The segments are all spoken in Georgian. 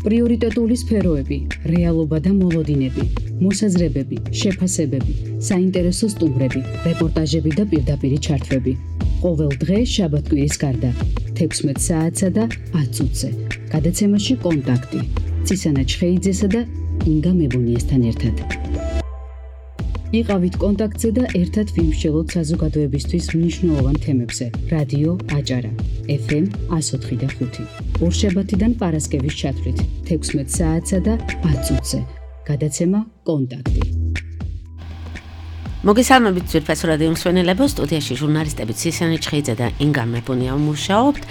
პრიორიტეტული სფეროები, რეალობა და მოლოდინები, მოსაზრებები, შეფასებები, საინტერესო სტუმრები, რეპორტაჟები და პირდაპირი ჩართვები. ყოველ დღე შაბათ-კვირის გარდა 16 საათსა და 10 წუთზე. გადაცემაში კონტაქტი. ცისანა ჩხეიძესა და ინგა მებუნიესთან ერთად. იყავით კონტაქტზე და ერთად ვიმსჯელოთ საზოგადოებისთვის მნიშვნელოვან თემებზე. რადიო აჭარა, FM 104.5. ორშაბათიდან პარასკევის ჩათვლით 16 საათსა და 10 წუთზე. გადაცემა კონტაქტი. მოგესალმებით ძვირფასო რადიო მსმენელებო, სტუდიაში ჟურნალისტები ცისანა ჩხეიძე და ინგა მებუნია მუშაობთ.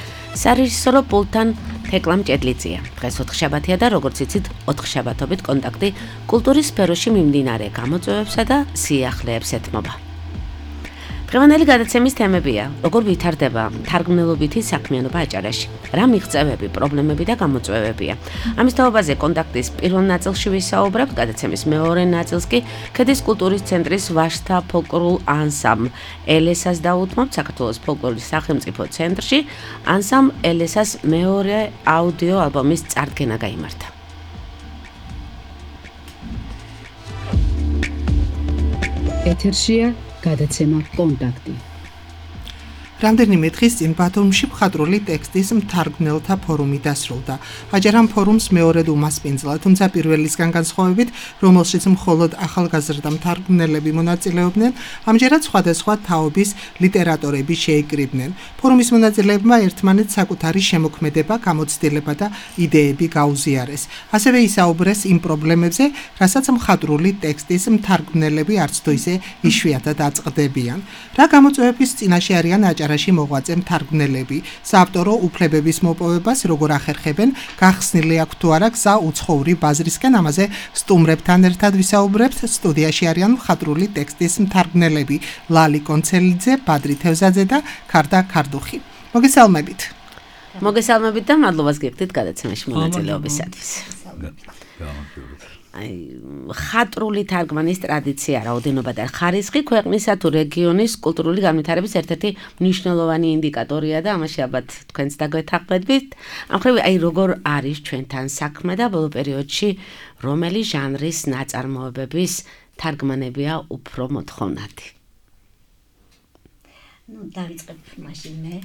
სარეჟისორო პულტთან თეკლამ ჭედლიძეა. დღეს 4 შაბათია და როგორც იცით, 4 შაბათობით კონტაქტი კულტურის სფეროში მიმდინარე გამოწვევებსა და სიახლეებს ეთმობა. დღევანდელი გადაცემის თემებია: როგორ ვითარდება თარგმნელობითი საქმიანობა აჭარაში, რა მიღწევები, პრობლემები და გამოწვევებია. ამის თაობაზე კონტაქტის პირველ ნაწილში ვისაუბრებთ, გადაცემის მეორე ნაწილს კი ქედის კულტურის ცენტრის ვაჟთა ფოლკლორულ ანსამბლ ელესას დაუთმობთ საქართველოს ფოლკლორის სახელმწიფო ცენტრში. ანსამბლ ელესას მეორე აუდიო ალბომის წარდგენა გაიმართა. ეთერშია გადაცემა კონტაქტი. რამდენიმე დღის წინ ბათუმში მხატვრული ტექსტის მთარგმნელთა ფორუმი დასრულდა. აჭარამ ფორუმს მეორედ უმასპინძლა, თუმცა პირველისგან განსხვავებით, რომელშიც მხოლოდ ახალგაზრდა მთარგმნელები მონაწილეობდნენ, ამჯერად სხვადასხვა თაობის ლიტერატორები შეიკრიბნენ. ფორუმის მონაწილეებმა ერთმანეთს საკუთარი შემოქმედება, გამოცდილება და იდეები გაუზიარეს. ასევე ისაუბრეს იმ პრობლემებზე, რასაც მხატვრული ტექსტის მთარგმნელები არც თუ ისე იშვიათად აწყდებიან. რა გამოწვევების წინაშე არიან აჭარაში მოღვაწე მთარგმნელები, საავტორო უფლებების მოპოვებას როგორ ახერხებენ, გახსნილი აქვს თუ არა გზა უცხოური ბაზრისკენ, ამაზე სტუმრებთან ერთად ვისაუბრებთ. სტუდიაში არიან მხატვრული ტექსტის მთარგმნელები ლალი კონცელიძე, ბადრი თევზაძე და ქარდა ქარდუხი. მოგესალმებით. მოგესალმებით და მადლობას გიხდით გადაცემაში მონაწილეობისათვის. ხატრული თარგმანის ტრადიცია, რაოდენობა და ხარისხი ქვეყნისა თუ რეგიონის კულტურული განვითარების ერთ-ერთი მნიშვნელოვანი ინდიკატორია და ამაში ალბათ თქვენც დაგვეთანხმებით. ამ ხრივ როგორ არის ჩვენთან საქმე და ბოლო პერიოდში რომელი ჟანრის ნაწარმოებების თარგმანებია უფრო მოთხოვნადი? დავიწყებ მაშინ მე.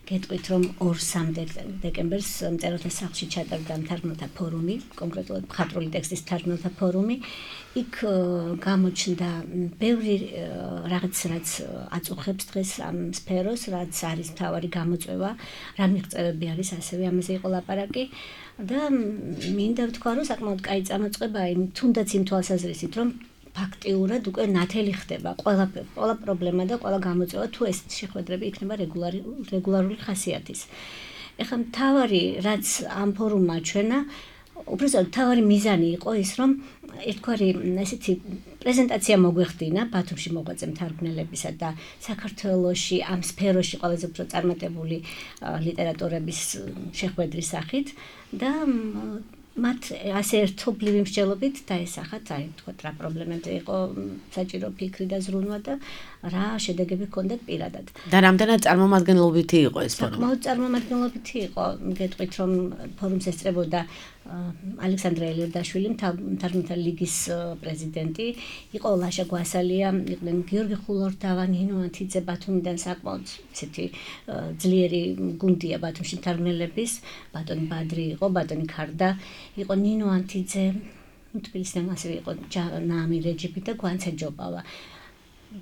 გეტყვით, რომ 2-3 დეკემბერს მწერალთა სახლში ჩატარდა მთარგმნელთა ფორუმი, კონკრეტულად მხატვრული ტექსტის მთარგმნელთა ფორუმი. იქ გამოჩნდა ბევრი რაღაც, რაც აწუხებს დღეს ამ სფეროს, რაც არის მთავარი გამოწვევა, რა მიღწევები არის, ასევე ამაზე იყო ლაპარაკი. და მინდა ვთქვა, რომ საკმაოდ კაი წამოწყებაა იმ თუნდაც იმ თვალსაზრისით, რომ ფაქტიურად უკვე ნათელი ხდება ყველა პრობლემა და ყველა გამოწვევა, თუ ეს შეხვედრები იქნება რეგულარული ხასიათის. ეხლა მთავარი, რაც ამ ფორუმმა ჩვენა, უბრალოდ მთავარი მიზანი იყო ის, რომ ერთგვარი ესეთი პრეზენტაცია მოგვეხდინა ბათუმში მოღვაწე მთარგმნელებისა და საქართველოში ამ სფეროში ყველაზე უფრო წარმატებული ლიტერატორების შეხვედრის სახით და მათ ასე ერთობლივი მსჯელობით დაესახათ, თქვათ, რა პრობლემები იყო საჭირო ფიქრი და ზრუნვა და რა შედეგები ჰქონდათ პირადად. და რამდენად წარმომადგენლობითი იყო ეს ფორუმი? საკმაოდ წარმომადგენლობითი იყო. გეტყვით, რომ ფორუმს ესწრებოდა ალექსანდრე ელიორდაშვილი, მთარგმნელთა ლიგის პრეზიდენტი, იყო ლაშა გვასალია, იყვნენ გიორგი ხულორდავა, ნინო ანთიძე, ბათუმიდან საკმაოდ ისეთი ძლიერი გუნდია ბათუმში მთარგმნელების, ბატონი ბადრი იყო, ბატონი ქარდა, იყო ნინო ანთიძე, თბილისიდან ასევე იყო ნამი რეჯიპი და გვანცე ჯობავა.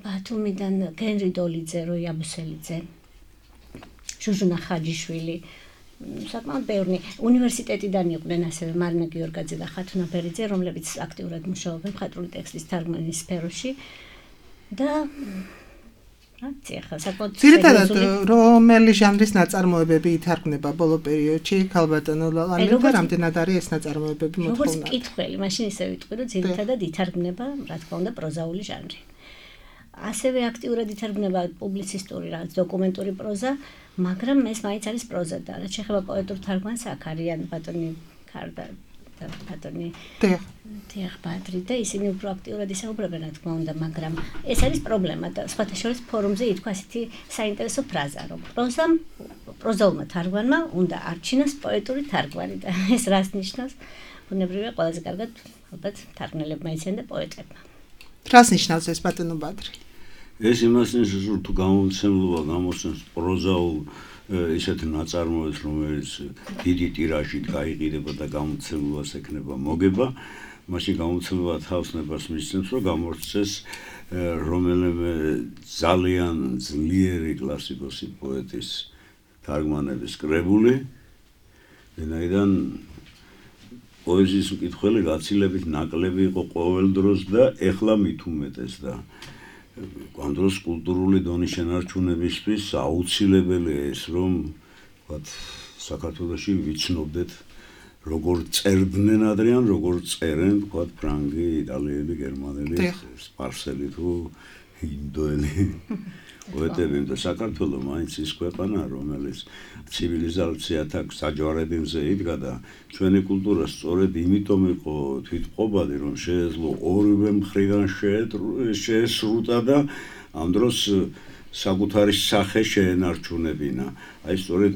ბათუმიდან გენრი დოლიძე, როი აბუსელიძე, ჟუჟუნა ხაჯიშვილი, საკმაოდ ბევრი. უნივერსიტეტიდან იყვნენ ასევე მარინა გიორგაძე და ხათუნა ბერიძე, რომლებიც აქტიურად მუშაობენ მხატვრული ტექსტის თარგმნის სფეროში და ძირითადად რომელი ჟანრის ნაწარმოებები ითარგმნება ბოლო პერიოდში ქალბატონო ლალანი და რამდენად არის ეს ნაწარმოებები მოთხოვნადი? როგორც მკითხველი, მაშინ ისე ვიტყვი, რომ ძირითადად ითარგმნება, რა თქმა უნდა, პროზაული ჟანრი. ასევე აქტიურად ითარგმნება პუბლიცისტური, რაღაც დოკუმენტური პროზა, მაგრამ ეს მაინც არის პროზა და რაც შეეხება პოეტურ თარგმანს, აქ არიან ბატონი ქარდა და ბატონი თეახ ბადრი და ისინი უფრო აქტიურად ისაუბრებენ, რა თქმა უნდა, მაგრამ ეს არის პრობლემა და სხვათა შორის ფორუმზე ითქვა ასეთი საინტერესო ფრაზა, რომ პროზაულმა თარგმანმა უნდა არჩინოს პოეტური თარგმანი და ეს რას ნიშნავს? ბუნებრივია ყველაზე კარგად ალბათ თარგმნელებმა იციან და პოეტებმა. რას ნიშნავს ეს ბატონო ბადრი? ეს იმას ნიშნავს, რომ თუ გამომცემლობა გამოსცემს პროზაულ ისეთ ნაწარმოებს, რომელიც დიდი ტირაჟით გაიყიდება და გამომცემლობას ექნება მოგება, მაშინ გამომცემლობა თავს ნებას მისცემს, რომ გამორჩეს რომელიმე ძალიან ძლიერი კლასიკოსი პოეტის თარგმანების კრებული, ვინაიდან პოეზიის მკითხველი გაცილებით ნაკლები იყო ყოველ დროს და ეხლა მით უმეტეს და ამ დროს კულტურული დონის შენარჩუნებისთვის აუცილებელია ეს, რომ ვთქვათ, საქართველოში ვიცნობდეთ როგორ წერდნენ ადრიან, როგორ წერენ, ვთქვათ, ფრანგი, იტალიელი, გერმანელი, სპარსელი თუ ინდოელი პოეტები და საქართველო მაინც ის ქვეყანა, რომელიც ცივილიზაციათა საჯვარედინზე იდგა და ჩვენი კულტურა სწორედ იმიტომ იყო თვითმყოფადი, რომ შეეძლო ორივე მხრიდან შეესრუტა და ამ დროს საკუთარი სახე შეენარჩუნებინა. აი სწორედ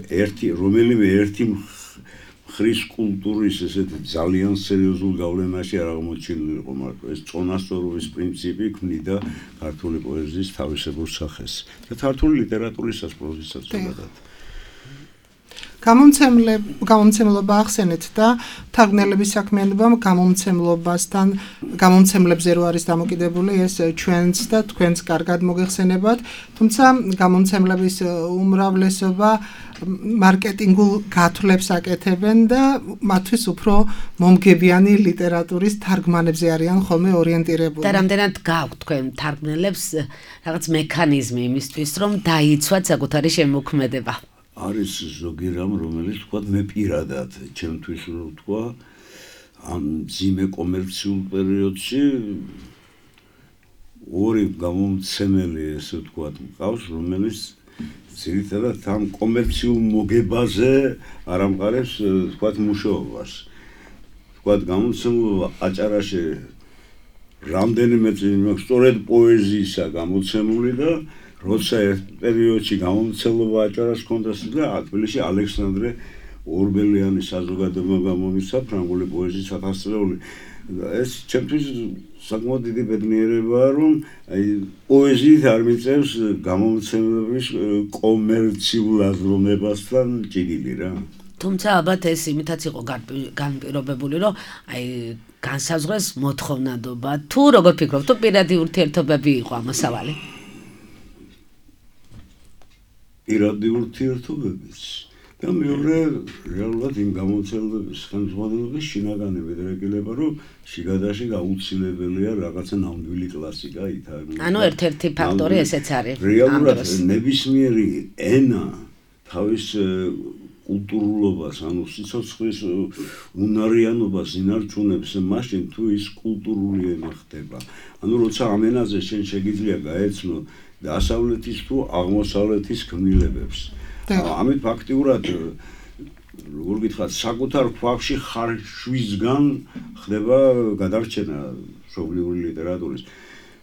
რომელიმე ერთი ხრის კულტურის ესეთი ძალიან სერიოზულ გავლენაში არ აღმოჩენილი იყო, მაგრამ ეს წონასწორობის პრინციპი ქმნიდა ქართული პოეზიის თავისებურ სახეს და ქართული ლიტერატურისაც პროზისაც ზოგადად. გამომცემლობა ახსენეთ და თარგმნელების საქმიანობამ გამომცემლებზე რო არის დამოკიდებული ეს ჩვენც და თქვენც კარგად მოგეხსენებათ, თუმცა გამომცემლების უმრავლესობა მარკეტინგულ გათვლებს აკეთებენ და მათთვის უფრო მომგებიანი ლიტერატურის თარგმანებზე არიან ხოლმე ორიენტირებული. და რამდენად გაქვთ თქვენ თარგმნელებს რაღაც მექანიზმი იმისთვის, რომ დაიცვათ საკუთარი შემოქმედება? არის ზოგი რამ, რომელიც თქვა მე პირადად, ჩემთვის რო ვთქვა, ამ ძიმე კომერციულ პერიოდში ორი გამომცემელი ესე ვთქვა, მყავს, რომელიც ძირითადად ამ კომერციულ მოგებაზე არ ამყარებს, ვთქვა, მუშაობას. ვთქვა, გამომცემლობა აჭარაში რამდენიმე წელი მაქვს სწორედ პოეზიისა გამოცემული და როცა ერთ პერიოდში გამომცემლობა აჭარას ჰქონდა და თბილისში ალექსანდრე ორბელიანის საზოგადოება გამომიცა ფრანგული პოეზიის ათასწლეული. ეს ჩემთვის საკმაოდ დიდი ბედნიერებაა, რომ აი პოეზიით არ მიწევს გამომცემლობის კომერციულ აზროვნებასთან ჭიდილი რა. თუმცა ალბათ ეს იმითაც იყო განპირობებული, რომ აი განსაზღვრეს მოთხოვნადობა. თუ როგორ ფიქრობთ, თუ პირადი ურთიერთობები იყო ამასავალი? პირადი ურთიერთობებიც და მეორე რეალურად იმ გამომცემლობის ხელმძღვანელობის შინაგანი ვედრეგილება, რომ შიგადაში აუცილებელია რაღაცა ნამდვილი კლასიკა ითარგმნოს. ანუ ერთ-ერთი ფაქტორი ესეც არის. რეალურად ნებისმიერი ენა თავის კულტურულობას, ანუ სიცოცხლის უნარიანობას ინარჩუნებს მაშინ თუ ის კულტურული ენა ხდება. ანუ როცა ამ ენაზე შენ შეგიძლია გაეცნო დასავლეთის თუ აღმოსავლეთის ქმნილებებს. ამით ფაქტიურად როგორ გითხრათ, საკუთარ ქვაბში ხარშვისგან ხდება გადარჩენა მშობლიური ლიტერატურის.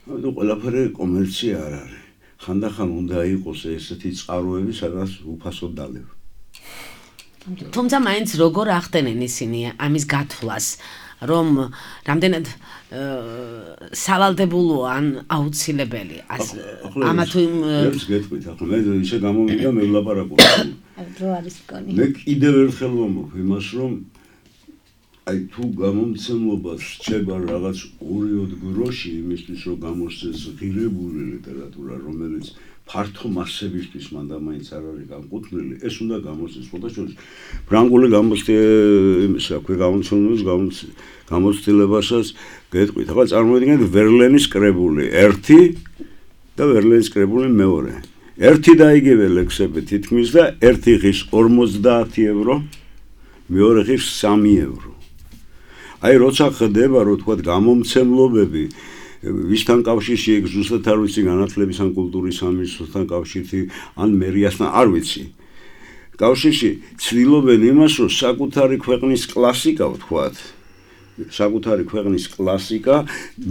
ამიტომ ყველაფერი კომერცია არ არის. ხანდახან უნდა იყოს ესეთი წყაროები, სადაც უფასოდ დალევ. თუმცა მაინც როგორ ახდენენ ისინი ამის გათვლას, რომ რამდენად სავალდებულო ან აუცილებელი ამა თუ ეს გეტყვით, ახლა მე ისე გამომიდა მე ვლაპარაკობ. დრო არის მგონი. მე კიდევ ერთხელ ვამბობ იმას, რომ აი თუ გამომცემლობა რჩება რაღაც 2-3 გროში იმისთვის, რომ გამოსცეს ღირებული ლიტერატურა, რომელიც ფართო მასებისთვის მანდა მაინც არ არის განკუთვნილი, ეს უნდა გამოსცეს. ხოთაშორის ფრანგული გამოცდილებასაც გეტყვით. ახლა წარმოიდგინეთ ვერლენის კრებული 1 და ვერლენის კრებული 2. ერთი და იგივე ლექსები თითქმის და ერთი ღირს 50 ევრო, მეორე ღირს 3 ევრო. აი როცა ხდება, რომ თქვა გამომცემლობები ვისთან კავშირში ეგ ზუსტად არ ვიცი, განათლების ან კულტურის სამინისტროსთან კავშირში ან მერიასთან არ ვიცი. კავშირში ცდილობენ იმას, რომ საკუთარი ქვეყნის კლასიკა ვთქვათ საკუთარი ქვეყნის კლასიკა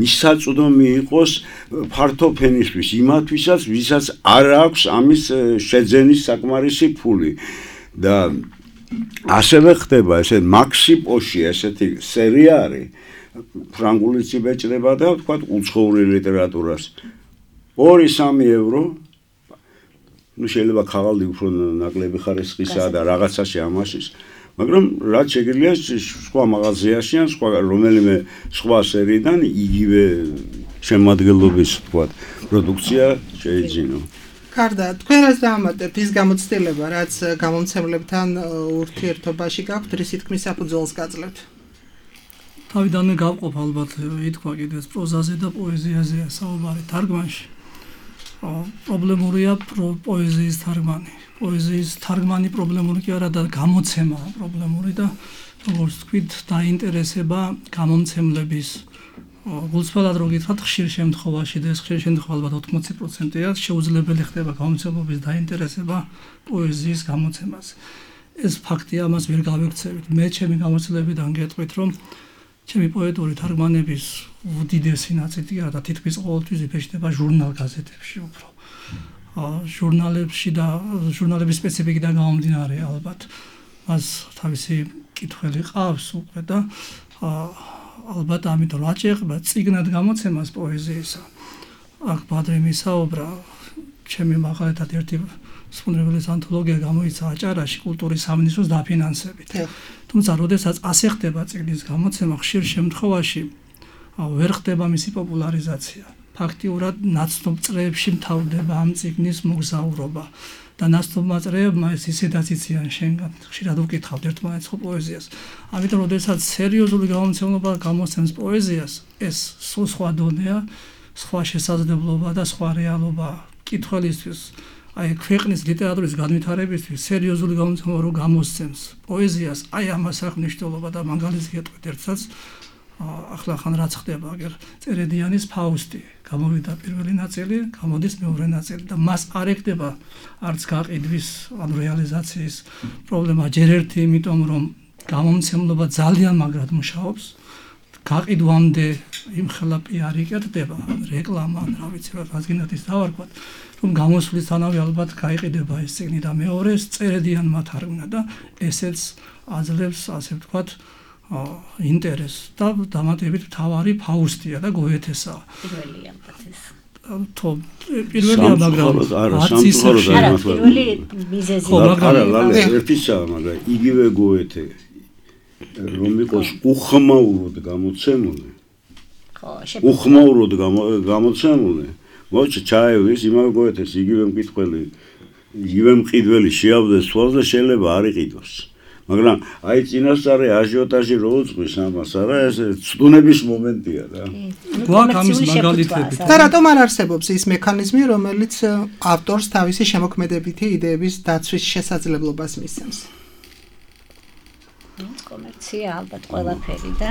მისაწვდომი იყოს ფართო ფენისთვის იმათვისაც, ვისაც არ აქვს ამის შეძენის საკმარისი ფული და ასევე ხდება ესე მაქსი პოში ესეთი სერია არის ფრანგულიც იბეჭდება და თქვა უცხოური ლიტერატურას 2-3 евро ну შეიძლება ხაღალდი უფრო ნაკლები ხარისხისა და რაღაცაში ამაშის მაგრამ რაც შეგიძლია სხვა მაღაზიაში ან სხვა რომელიმე სხვა სერიიდან იგივე შემადგენლობის თქვა პროდუქცია შეიძინო კარდა, თქვენ რაც დაამატებთ ის გამოცდილება, რაც გამომცემლებთან ურთიერთობაში გაქვთ, რისი თქმის საფუძველს გაძლევთ? თავიდანვე გავყოფ ალბათ ითქვა კიდეც პროზაზე და პოეზიაზეა საუბარი თარგმანში. პრობლემურია პოეზიის თარგმანი. პოეზიის თარგმანი პრობლემური კი არა და გამოცემა პრობლემური და როგორც თქვით, დაინტერესება გამომცემლების გულწრფელად რო გითხრათ, ხშირ შემთხვევაში და ეს ხშირ შემთხვევა ალბათ 80%-ია შეუძლებელი ხდება გამომცემლობის დაინტერესება პოეზიის გამოცემაზე. ეს ფაქტია, ამას ვერ გავიქცევით. მე ჩემი გამოცდილებიდან გეტყვით, რომ ჩემი პოეტური თარგმანების უდიდესი ნაწილი არა და თითქმის ყოველთვის იფეშდება ჟურნალ-გაზეთებში უფრო. ჟურნალებში და ჟურნალების სპეციფიკიდან გამომდინარე ალბათ. მას თავისი კითხველი ყავს უკვე და ალბათ ამიტომ აჭერება წიგნად გამოცემას პოეზიისა. აქ ბადრი მისაუბრა, ჩემი მაგალითად ერთი სპუნდრებლის ანთოლოგია გამოიცა აჭარაში კულტურის სამინისტროს დაფინანსებით. თუმცა, როდესაც ასე ხდება წიგნის გამოცემა, ხშირ შემთხვევაში ვერ ხდება მისი პოპულარიზაცია. ფაქტიურად ნაცნობ წრეებში მთავრდება ამ წიგნის მოგზაურობა. და ნაცნობმა წრეებმა ეს ისედაც იციან შენგან ხშირად უკითხავთ ერთმანეთს ხო პოეზიას. ამიტომ როდესაც სერიოზული გამომცემლობა გამოსცემს პოეზიას, ეს სხვა დონეა, სხვა შესაძლებლობა და სხვა რეალობა კითხველისთვის, აი ქვეყნის ლიტერატურის განვითარებისთვის სერიოზული გამომცემლობა რო გამოსცემს პოეზიას, აი ამას აქვს მნიშვნელობა და მაგალითს გეტყვით ერთსაც ახლა ხან რაც ხდება, აგერ წერედიანის ფაუსტი გამოვიდა პირველი ნაწილი, გამოდის მეორე ნაწილი და მას არ ეკდება არც გაყიდვის, ანუ რეალიზაციის პრობლემა ჯერ ერთი, იმიტომ რომ გამომცემლობა ძალიან მაგრად მუშაობს, გაყიდვამდე იმხელა პიარი კეთდება, რეკლამა, რა ვიცი, რადგანაც ის დავარქვათ, რომ გამოსვლისთანავე ალბათ გაიყიდება ეს წიგნი და მეორე წერედიანმა თარგმნა და ესეც აძლევს, ასე ვთქვათ, ინტერესს და დამატებით მთავარი ფაუსტია და გოეთესაა. პირველია ალბათ ეს. პირველია, მაგრამ არც ისე არა, პირველი მიზეზი. არა, ერთისაა, მაგრამ იგივე გოეთე რომ იყოს უხმაუროდ გამოცემული. ხო, უხმაუროდ გამოცემული. მოიცა ჩაევის იმავე გოეთეს იგივე მკითხველი, იგივე მყიდველი შეავდეს თვალს და შეიძლება არ იყიდოს. მაგრამ აი წინასწარი აჟიოტაჟი რო უძღვის ამას არა ეს ცდუნების მომენტია რა. გვაქვს ამის მაგალითები. და რატომ არ არსებობს ის მექანიზმი, რომელიც ავტორს თავისი შემოქმედებითი იდეების დაცვის შესაძლებლობას მისცემს? კომერცია ალბათ ყველაფერი და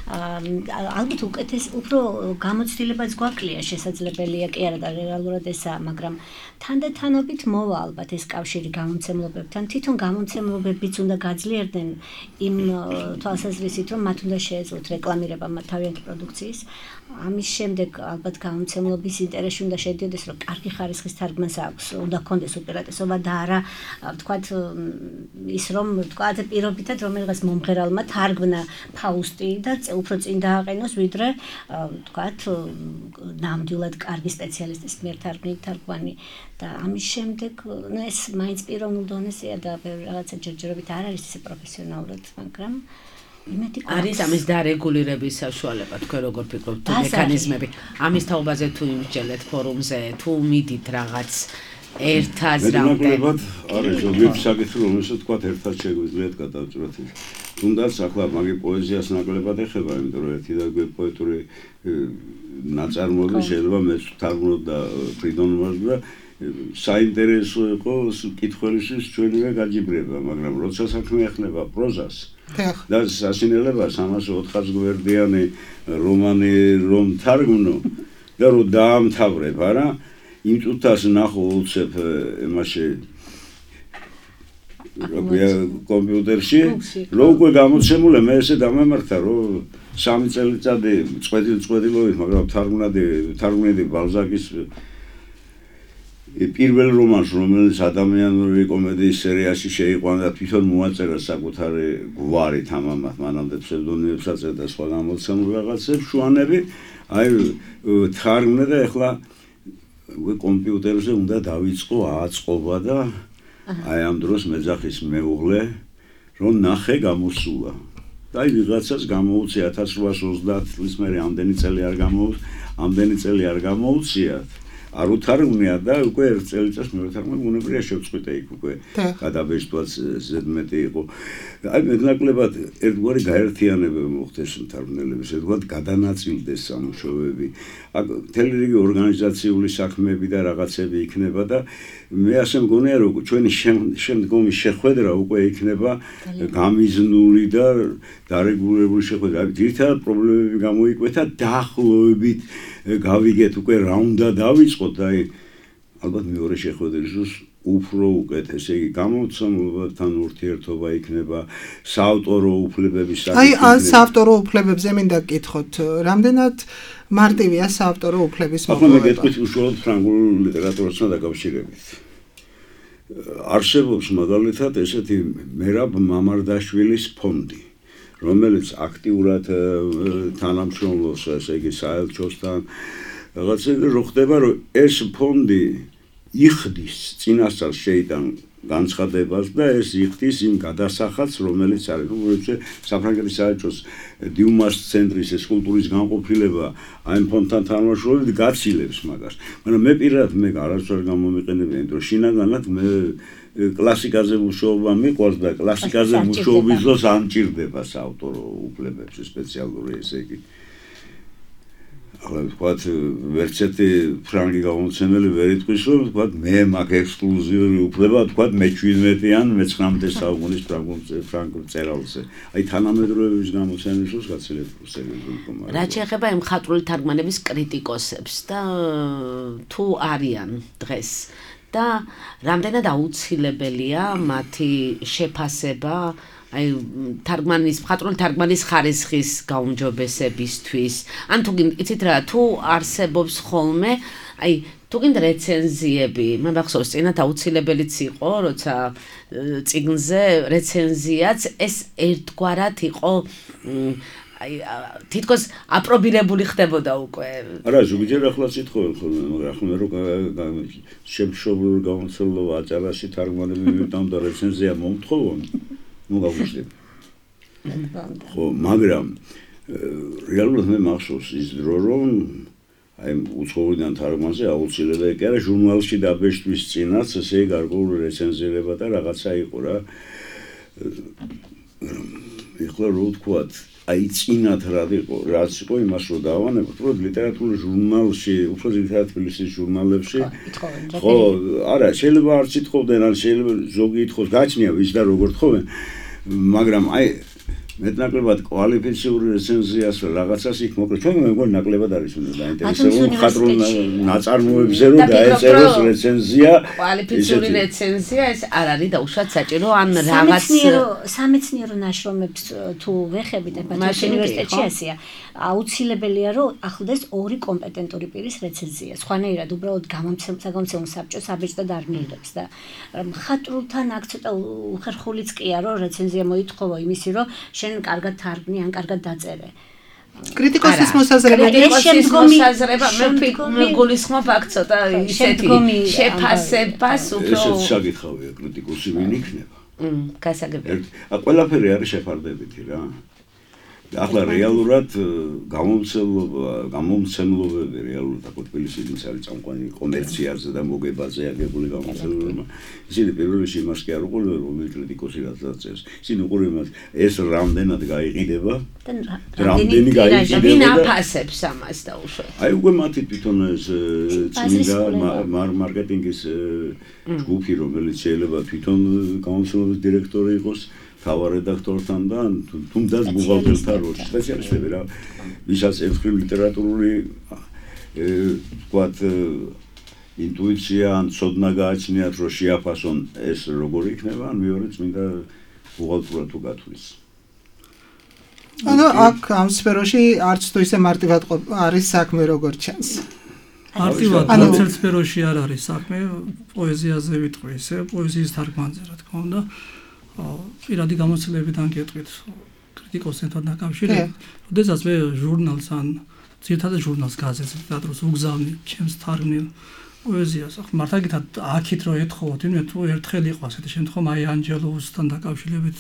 ალბათ უკეთეს უფრო გამოცდილებაც გვაკლია შესაძლებელია კი არა და რეალურად ესაა, მაგრამ თანდათანობით მოვა ალბათ ეს კავშირი გამომცემლობებთან. თვითონ გამომცემლობებიც უნდა გაძლიერდნენ იმ თვალსაზრისით, რომ მათ უნდა შეეძლოთ რეკლამირება თავიანთი პროდუქციის. ამის შემდეგ ალბათ გამომცემლობის ინტერესში უნდა შედიოდეს, რომ კარგი ხარისხის თარგმანს აქვს, უნდა ქონდეს უპირატესობა და არა ვთქვათ ის რომ ვთქვათ პირობითად რომელიღაც მომღერალმა თარგმნა ფაუსტი და უფრო წინ დააყენოს, ვიდრე ვთქვათ ნამდვილად კარგი სპეციალისტის მიერ თარგმანი და ამის შემდეგ ეს მაინც პიროვნულ დონეზეა და რაღაცა ჯერჯერობით არ არის ისე პროფესიონალურად, მაგრამ არის ამის დარეგულირების საშუალება, თქვენ როგორ ფიქრობთ, თუ მექანიზმები ამის თაობაზე თუ იმსჯელეთ ფორუმზე, თუ მიდით რაღაც ერთაზრამდე. არის ზოგიერთი საკითხი, რომელსაც თქვა ერთად შეგვიძლიათ გადავწყვეტ. თუნდაც ახლა მაგი პოეზიას ნაკლებად ეხება, იმიტომ რომ ერთი და პოეტური ნაწარმოები შეიძლება მეც თარგმნოთ და ფრიდონმას და საინტერესო იყო კითხველისთვის ჩვენივე გაჯიბრება, მაგრამ როცა საქმე ეხება პროზას და სასინელებას 304 გვერდიანი რომანი რომ თარგმნო და რომ დაამთავრებ, არა? იმ წუთას ნახო უცებ იმაში კომპიუტერში, რომ უკვე გამოცემული მე ესე დამემართა, რომ 3 წელიწადი წვედილობით, მაგრამ თარგმნედი ბალზაკის პირველ რომანს, რომელიც ადამიანური კომედიის სერიაში შეიყვანა და თვითონ მოაწერა საკუთარი გვარი თამამად, მანამდე ფსევდონიმებს აწერდა და სხვა გამოცემულ რაღაცებს, შუანები, აი თარგმნე და ეხლა კომპიუტერზე უნდა დავიწყო აწყობა და აი ამ დროს მეძახის მეუღლე რომ ნახე გამოსულა. და აი ვიღაცას გამოუცი 1830 წლის მერე ამდენი წელი არ გამოუცია. არ უთარგმნია და უკვე ერთ წელიწადს მეორე თარგმანი უნებრივია შევწყვიტე იქ უკვე გადაბეჭდვაც ზედმეტი იყო. აი მეტნაკლებად ერთგვარი გაერთიანება მოხდეს მთარგმნელების, ერთგვარ გადანაწილდეს სამუშაოები. აქ მთელი რიგი ორგანიზაციული საქმეები და რაღაცები იქნება და მე ასე მგონია რომ ჩვენი შემდგომი შეხვედრა უკვე იქნება გამიზნული და დარეგულირებული შეხვედრა. ძირითადად პრობლემები გამოიკვეთა დაახლოებით გავიგეთ უკვე რა უნდა დავიწყოთ და აი ალბათ მეორე შეხვედრის დროს უფრო უკეთ, ესე იგი გამოცემლებთან ურთიერთობა იქნება, საავტორო უფლებების აი საავტორო უფლებებზე მინდა გკითხოთ, რამდენად მარტივია საავტორო უფლების მოპოვება? ახლა მე გეტყვით უშუალოდ ფრანგულ ლიტერატურასთან დაკავშირებით. არსებობს მაგალითად ესეთი მერაბ მამარდაშვილის ფონდი, რომელიც აქტიურად თანამშრომლობს, ესე იგი საელჩოსთან, რაღაცები რო ხდება, რომ ეს ფონდი იხდის წინასწარ შეიტან განცხადებას და ეს იხდის იმ გადასახადს, რომელიც არის, როგორც საფრანგეთის საელჩოს დიუმას ცენტრის ეს კულტურის განყოფილება აი ფონდთან თანამშრომლობით გაცილებს მაგას. მაგრამ მე პირადად მე არასდროს გამომიყენებია, იმიტომ რომ შინაგანად მე კლასიკაზე მუშაობა მიყვარს და კლასიკაზე მუშაობის დროს ამჭირდება საავტორო უფლებებს სპეციალური ესე იგი. ახლა ვთქვათ, ვერცერთი ფრანგი გამომცემელი ვერ იტყვის, რომ ვთქვათ, მე მაქვს ექსკლუზიური უფლება, ვთქვათ, მე-17-იან, მე-19 საუკუნის ფრანგულ წერალზე. აი თანამედროვეების გამოცემის დროს გაცილებით სერიოზული მდგომარეობა. რაც შეეხება იმ მხატვრული თარგმანების კრიტიკოსებს და თუ არიან დღეს და რამდენად აუცილებელია მათი შეფასება აი მხატვრული თარგმანის ხარისხის გაუმჯობესებისთვის. ან თუ იცით რა, თუ არსებობს ხოლმე აი თუ გინდა რეცენზიები, მე მახსოვს წინათ აუცილებელიც იყო, როცა წიგნზე რეცენზიაც ეს ერთგვარად იყო აი თითქოს აპრობირებული ხდებოდა უკვე. არა, ზოგჯერ ახლა სიტყვენ ხოლმე, მაგრამ ახლა მე რომ შემშობლური გამოცემლობა აჭარაში თარგმანები მივტანდა რეცენზია მომთხოვონ, ნუ გავუშვებ. ხო, მაგრამ რეალურად მე მახსოვს ის დრო, რომ აი უცხოურიდან თარგმანზე აუცილებელი კი არა ჟურნალში დაბეჭდვის წინაც ესე გარკვეული რეცენზირება და რაღაცა იყო რა. ეხლა რო ვთქვათ აი წინათ რაც იყო იმას რო დავანებოთ, რომ ლიტერატურულ ჟურნალში, უფრო ძირითადად თბილისის ჟურნალებში, ხო, არა, შეიძლება არც ითხოვდნენ, ან შეიძლება ზოგი ითხოვს, გაჩნია ვის და როგორ თხოვენ, მაგრამ აი მეტნაკლებად კვალიფიციური რეცენზიას რაღაცას იქ მოკლედ ჩვენ მეგონი ნაკლებად არის უნდა დაინტერესებული მხატვრულ ნაწარმოებზე რომ დაეწეროს რეცენზია კვალიფიციური რეცენზია ეს არ არის დაუშვათ საჭირო ან რაღაც სამეცნიერო ნაშრომებს თუ ვეხებით ბათუმის უნივერსიტეტში ასეა აუცილებელია რომ ახლდეს ორი კომპეტენტური პირის რეცენზია სხვანაირად უბრალოდ გამომცემლ საბჭოს აბეჭდად არ მიიღებს და მხატვრულთან აქ ცოტა უხერხულიც ყია რომ რეცენზია მოითხოვო იმისი რომ შენ კარგად თარგმნი ან კარგად დაწერე. კრიტიკოსის მოსაზრება მე გულისხმობ აქ ცოტა ისეთი შეფასებას უფრო ესეც საკითხავია კრიტიკოსი ვინ იქნება. გასაგებია. ყველაფერი არის შეფარდებითი რა. ახლა რეალურად გამომცემლობები რეალურად აქ თბილისიდან არის წამყვანი კომერციაზე და მოგებაზე აგებული გამომცემლობა. ისინი პირველ რიგში იმას კი არ უყურებენ რომ კრიტიკოსი რაც დაწერს. ისინი უყურებენ ეს რამდენად გაიყიდება და რამდენი გაიყიდება. ვინ აფასებს ამას დაუშვათ. აი უკვე მათი თვითონ ეს წმინდა მარკეტინგის ჯგუფი რომელიც შეიძლება თვითონ გამომცემლობის დირექტორი იყოს თავარ რედაქტორთან და თუნდაც ბუღალტერთან როლში სპეციალისტები რა ვისაც ერთხელ ლიტერატურული ვთქვათ ინტუიცია ან ცოდნა გააჩნიათ რომ შეაფასონ ეს როგორ იქნება ან მეორე წმინდა ბუღალტურა თუ გათვლის. თუნდაც აქ ამ სფეროში არც თუ ისე მარტივად არის საქმე როგორც ჩანს. მარტივად არც სფეროში არ არის საქმე, პოეზიაზე ვიტყვი ისე, პოეზიის თარგმანზე რა თქმა უნდა. პირადი გამოცდილებიდან გეტყვით კრიტიკოსთან დაკავშირებით, როდესაც მე ჟურნალს ან ძირითადად ჟურნალს გაზეთს თეატრს უგზავნი ჩემს თარგმნილ პოეზიას. მართლა გითხრათ აქეთ რო ეთხოვოთ, იმედ თუ ერთხელ იყო ასეთი შემთხვევა აი ანჯელოსთან დაკავშირებით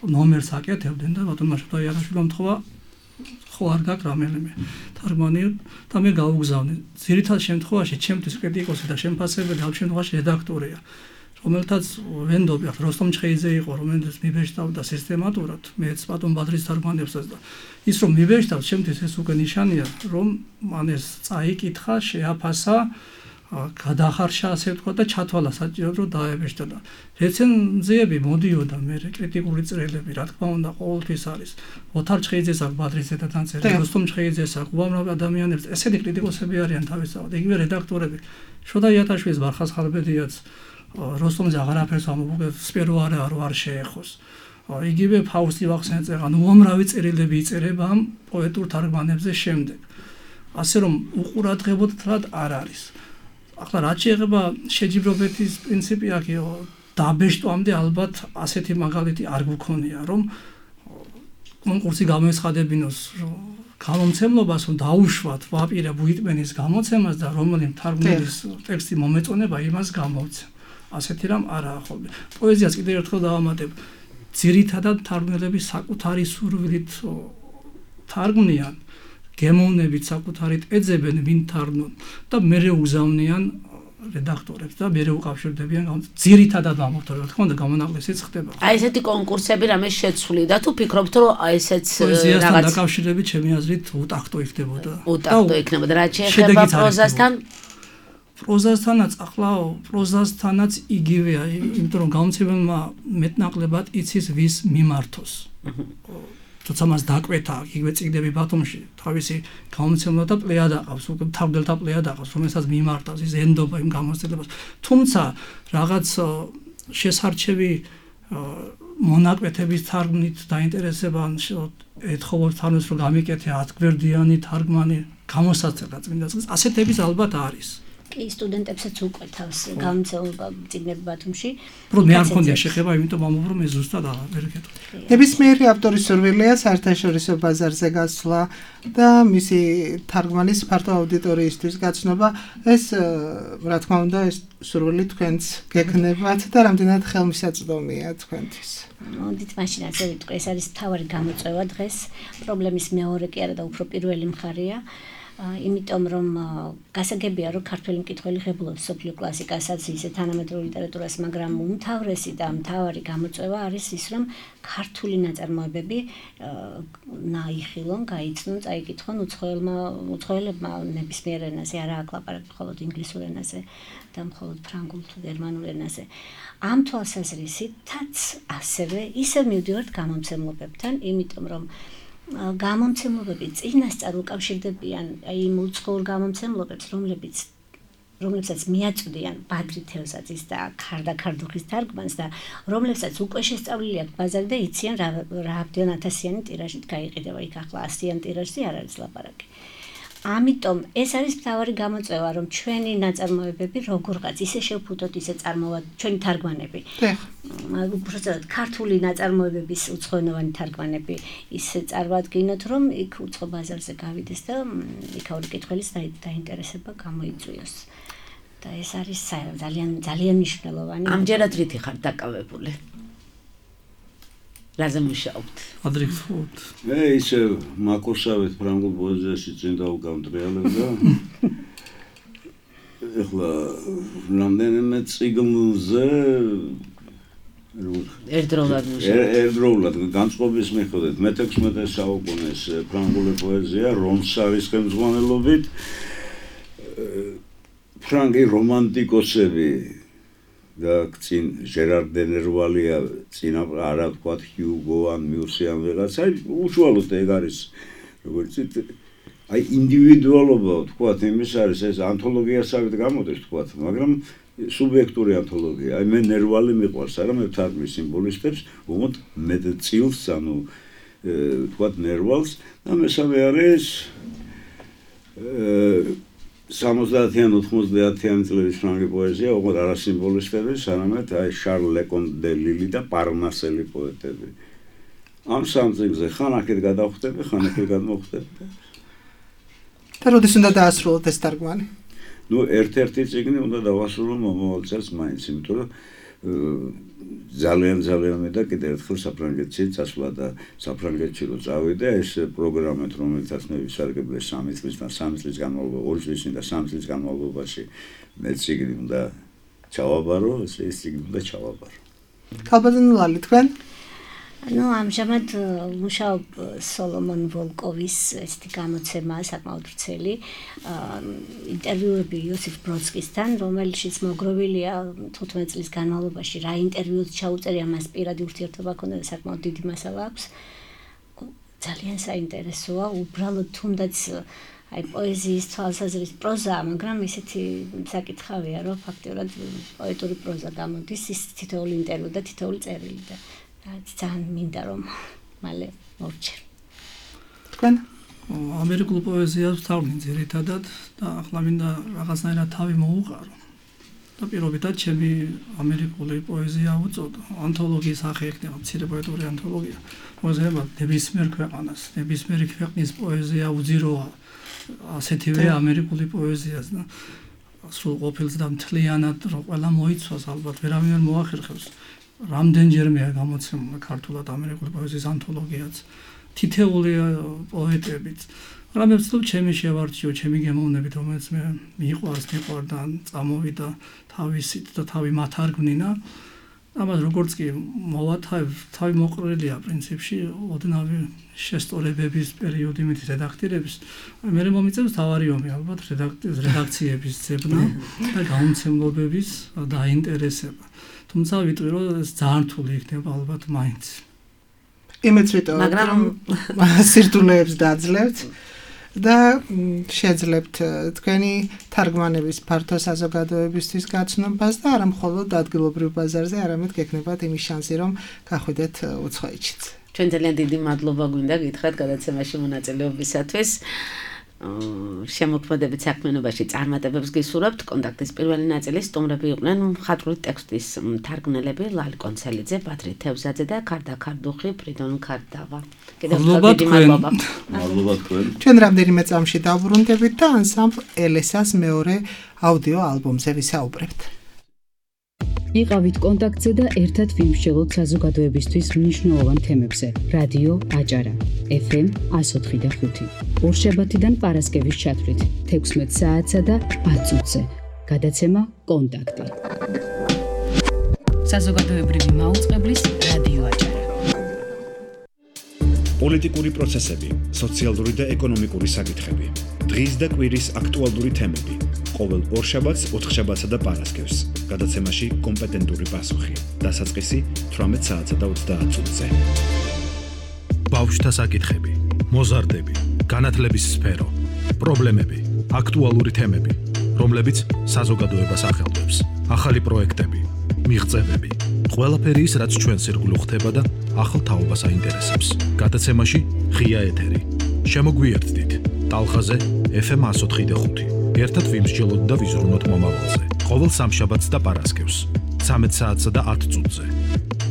ნომერს აკეთებდნენ და ბატონ მაშა იარაშვილმა მთხოვა ხო არ გაქვს რამელიმე თარგმანი და მე გავუგზავნე. ძირითად შემთხვევაში ჩემთვის კრიტიკოსი და შემფასებელი ამ შემთხვევაში რედაქტორია, რომელთაც ვენდობი ახლა როსტომ ჩხეიძე იყო, რომელიც მიბეჭდავდა სისტემატურად მეც ბატონ ბადრის თარგმანებსაც და ის რომ მიბეჭდავს ჩემთვის ეს უკვე ნიშანია, რომ მან ეს წაიკითხა, შეაფასა, გადახარშა ასე ვთქვა და ჩათვალა საჭიროდ რომ დაებეჭდა და რეცენზიები მოდიოდა მე კრიტიკული წერილები რა თქმა უნდა ყოველთვის არის ოთარ ჩხეიძეს აქვს ბადრის ზედათან წერილი როსტომ ჩხეიძეს აქვს უამრავ ადამიანებს ესეთი კრიტიკოსები არიან თავისთავად იგივე რედაქტორები შოდა იატაშვილის ბარხას ხალბედიაც როსტომზე აღარაფერს ამბობს სპერო არ შეეხოს იგივე ფაუსტი ვახსენე ანუ უამრავი წერილები იწერება ამ პოეტურ თარგმანებზე შემდეგ ასე რომ უყურადღებოდ არ არის ახლა რაც შეეხება შეჯიბრობების პრინციპი აქ დაბეჭდვამდე ალბათ ასეთი მაგალითი არ გქონია რომ კონკურსი გამოეცხადებინოს გამომცემლობას რომ დაუშვათ ვაპირებ უიტმენის გამოცემას და რომელი თარგმნის ტექსტი მომეწონება იმას გამოვცემ ასეთი რამ არაა ხოლმე პოეზიას კიდევ ერთხელ დავამატებ ძირითადად თარგმნელები საკუთარი სურვილით თარგმნიან გემოვნებით საკუთარით ეძებენ ვინ თარგმნონ და მერე უგზავნიან რედაქტორებს და მერე უკავშირდებიან ძირითადად ამბობთ რა თქმა უნდა გამონაკლისიც ხდება. აი ესეთი კონკურსები რამე შეცვლი და თუ ფიქრობთ რომ აი ესეც პოეზიასთან დაკავშირებით ჩემი აზრით უტაქტო იქნებოდა. უტაქტო იქნებოდა რა შეეხება პროზასთან? პროზასთანაც ახლა პროზასთანაც იგივეა, იმიტომ რომ გამომცემელმა მეტნაკლებად იცის ვის მიმართოს. თორსა მას დაკვეთა იგივე წიგნები ბათუმში თავისი გამომცემლობა და პლეიადა ყავს უკვე თავდელთა პლეიადა ყავს რომელსაც მიმართავს ის ენდობა იმ გამოცდილებას თუმცა რაღაც შესარჩევი მონაკვეთების თარგმნით დაინტერესება ეთხოვოთ თანოს რომ გამიკეთე 10 გვერდიანი თარგმანი გამოსაცემად წმინდა წიგნს ასეთების ალბათ არის კი სტუდენტებსაც უკვე თავს გამოცემლობა წიგნები ბათუმში რომ მე არ მქონია შეხება იმიტომ ამბობ რომ ეს ზუსტად აღარ გეტყვი ნებისმიერი ავტორის სურვილია საერთაშორისო ბაზარზე გასვლა და მისი თარგმანის ფართო აუდიტორიისთვის გაცნობა ეს რა თქმა უნდა ეს სურვილი თქვენც გექნებათ და რამდენად ხელმისაწვდომია თქვენთვის მოდით მაშინ ასე ვიტყვი ეს არის მთავარი გამოწვევა დღეს პრობლემის მეორე კი არა და უფრო პირველი მხარეა იმიტომ რომ გასაგებია რომ ქართველი მკითხველი ღებულობს სოფლიო კლასიკასაც ისე თანამედროვე ლიტერატურას მაგრამ უმთავრესი და მთავარი გამოწვევა არის ის რომ ქართული ნაწარმოებები ნაიხილონ, გაიცნონ, წაიკითხონ უცხოელებმა ნებისმიერ ენაზე, არა აქ ლაპარაკი მხოლოდ ინგლისურ ენაზე და მხოლოდ ფრანგულ თუ გერმანულ ენაზე. ამ თვალსაზრისითაც ასევე ისევ მივდივართ გამომცემლობებთან, იმიტომ რომ გამომცემლობები წინასწარ უკავშირდებიან იმ უცხოურ გამომცემლობებს, რომლებსაც მიაწვდიან ბადრი თევზაძის და ქარდა ქარდუხის თარგმანს და რომლებსაც უკვე შესწავლილი აქვს ბაზარი და იციან რა ამდენ ათასიანი ტირაჟით გაიყიდება. იქ ახლა 100-იან ტირაჟზე არ არის ლაპარაკი. ამიტომ ეს არის მთავარი გამოწვევა, რომ ჩვენი ნაწარმოებები როგორღაც ისე შევფუთოთ, ისე წარმოვად ჩვენი თარგმანები. უბრალოდ ქართული ნაწარმოებების უცხოენოვანი თარგმანები ისე წარმოვადგინოთ, რომ იქ უცხო ბაზარზე გავიდეს და იქაური კითხველის დაინტერესება გამოიწვიოს. და ეს არის ძალიან მნიშვნელოვანი. ამჯერად რითი ხარ დაკავებული? რაზე მუშაობთ? ადრიქსოთ. ისე მაკურსავით ფრანგულ პოეზიაში წინ დავგამტრიალებ და ეხლა რამდენიმე წიგნზე ერთდროულად განწყობის მიხედვით მე-16 საუკუნის ფრანგული პოეზია რომსავის ხელმძღვანელობით ფრანგი რომანტიკოსები და წინ ჟერარ დენერვალია წინ არა ვთქვათ ჰიუგო ან მიუსი ან ვიღაცა უშუალოდ ეგ არის როგორც აი ინდივიდუალობა ვთქვათ იმის არის ეს ანთოლოგიასავით გამოდის ვთქვათ მაგრამ სუბიექტური ანთოლოგია აი მე ნერვალი მიყვარს არა მე ვთარგმნი სიმბოლისტებს უბრალოდ მეტ წილს ანუ თქვათ ნერვალს და მესამე არის 70-იან 90-იან წლების ფრანგი პოეზია, ოღონდ არა სიმბოლისტები, არამედ აი შარლ ლეკონ დე ლილი და პარნასელი პოეტები. ამ სამ წიგნზე ხან აქეთ გადავხვდები, ხან აქეთ გადმოვხვდები. და როდის უნდა დაასრულოთ ეს თარგმანი? ნუ ერთ-ერთი წიგნი უნდა დავასრულო მომავალ წელს მაინც, იმიტომ რომ ძალიან მე და კიდევ ერთხელ საფრანგეთში წასვლა და საფრანგეთში რო წავიდე, ეს პროგრამით, რომელსაც მე ვისარგებლე 3 წლის და 3 წლის განმავლობაში, 2 წლის და 3 წლის განმავლობაში მე წიგნი უნდა ჩავაბარო, ეს წიგნი უნდა ჩავაბარო. ქალბატონი ლალი, თქვენ? Ну, ამჟამად მუშაობ სოლომონ ვოლკოვის ესეთი გამოცემა საკმაოდ ვრცელი ინტერვიუები იოსიფ ბროდსკისთან, რომელშიც მოგროვილია 15 წლის განმავლობაში რა ინტერვიუს ჩაუწერია, მას პირადი ურთიერთობა ჰქონდა და საკმაოდ დიდი მასალა აქვს. ძალიან საინტერესოა, უბრალოდ თუნდაც აი პოეზიის თვალსაზრისით პროზაა, მაგრამ ისეთი საკითხავია, რომ ფაქტობრივად პოეტური პროზა გამოდის, ის თითოეული ინტერვიუ და თითოეული წერილი და ძალიან მინდა რომ მალე მოვჭერ. თქვენ? ამერიკულ პოეზიას ვთავნი ძირითადად და ახლა მინდა რაღაცნაირად თავი მოუყარო. და პირობითად ჩემი ამერიკული პოეზია უწოდო. ანთოლოგიის სახე ექნება, მცირე პოეტური ანთოლოგია. მოძებნა ნებისმიერ ქვეყანას, ნებისმიერი ქვეყნის პოეზია უძიროა. ასეთივე ამერიკული პოეზიას და სულ ყოფილს და მთლიანად რომ ყველა მოიცვას, ალბათ ვერავინ ვერ მოახერხებს. რამდენჯერმეა გამოცემული ქართულად ამერიკული პოეზიის ანთოლოგიაც, თითეული პოეტებიც. მაგრამ მე ვცდილობ ჩემი შევარჩიო, ჩემი გემოვნებით, რომელიც მე მიყვარს, მიყვარდა, წამოვიდა თავისით და თავი მათარგმნინა. ამას როგორც კი მოვათავებ, თავი მოყრილია პრინციპში, ოდნავი შესწორებების პერიოდი მით რედაქტირების. მე მომიწევს თავარი ომი, ალბათ რედაქციების ძებნა და გამომცემლობების დაინტერესება. თუმცა ვიტყვი რომ ეს ძალიან რთული იქნება ალბათ მაინც. იმეც ვიტყვი, მაგრამ სირთულეებს დაძლევთ და შეძლებთ თქვენი თარგმანების ფართო საზოგადოებისთვის გაცნობას და არა მხოლოდ ადგილობრივ ბაზარზე, არამედ გექნებათ იმის შანსი, რომ გახვიდეთ უცხოეთშიც. ჩვენ ძალიან დიდი მადლობა გვინდა გითხრათ გადაცემაში მონაწილეობისათვის. შემოქმედებით საქმიანობაში წარმატებებს გისურვებთ. კონტაქტის პირველი ნაწილი სტუმრები იყვნენ მხატვრული ტექსტის მთარგმნელები ლალი კონცელიძე, ბადრი თევზაძე და ქარდა ქარდუხი, ფრიდონ ქარდავა. კიდევ დიდი მადლობა. მადლობა თქვენ. ჩვენ რამდენიმე წამში დავბრუნდებით და ანსამბლ ელესას მეორე აუდიო ალბომზე ვისაუბრებთ. იყავით კონტაქტზე და ერთად ვიმსჯელოთ საზოგადოებისთვის მნიშვნელოვან თემებზე. რადიო აჭარა, FM 104.5. ორშაბათიდან პარასკევის ჩათვლით 16 საათსა და 10 წუთზე. გადაცემა კონტაქტი. საზოგადოებრივი მაუწყებლის რადიო აჭარა. პოლიტიკური პროცესები, სოციალური და ეკონომიკური საკითხები, დღის და კვირის აქტუალური თემები. ყოველ ორშაბათს, ოთხშაბათსა და პარასკევს. გადაცემაში კომპეტენტური პასუხი. დასაწყისი 18 საათსა და 30 წუთზე. ბავშვთა საკითხები, მოზარდები, განათლების სფერო, პრობლემები, აქტუალური თემები, რომლებიც საზოგადოებას ახელვებს. ახალი პროექტები, მიღწევები, ყველაფერი ის, რაც ჩვენს ირგვლივ ხდება და ახალ თაობას აინტერესებს. გადაცემაში ღია ეთერი. შემოგვიერთდით ტალღაზე FM 104.5. ერთად ვიმსჯელოთ და ვიზრუნოთ მომავალზე. ყოველ სამშაბათს და პარასკევს 13 საათსა და 10 წუთზე.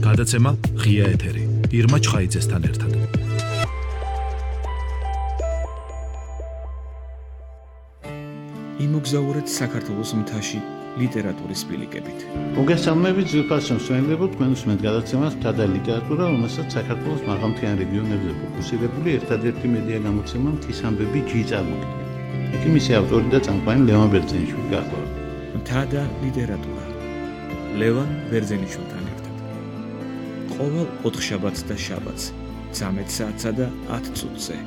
გადაცემა ღია ეთერი. ირმა ჩხაიძესთან ერთად. იმოგზაურეთ საქართველოს მთაში ლიტერატურის სპილიკებით. მოგესალმებით ძვირფასო მსმენელებო, თქვენ უსმენთ გადაცემას მთა და ლიტერატურა, რომელსაც საქართველოს მაღალმთიან რეგიონებზე ფოკუსირებული ერთადერთი მედია გამოცემა მთის ამბები ჯი წარმოქმნის. იქ მისი ავტორი და წამყვანი ლევან ბერძენიშვილი გახლავთ. მთა და ლიტერატურა. ლევან ბერძენიშვილთან ერთად. ყოველ ოთხშაბათს და შაბათს 13 საათსა და 10 წუთზე.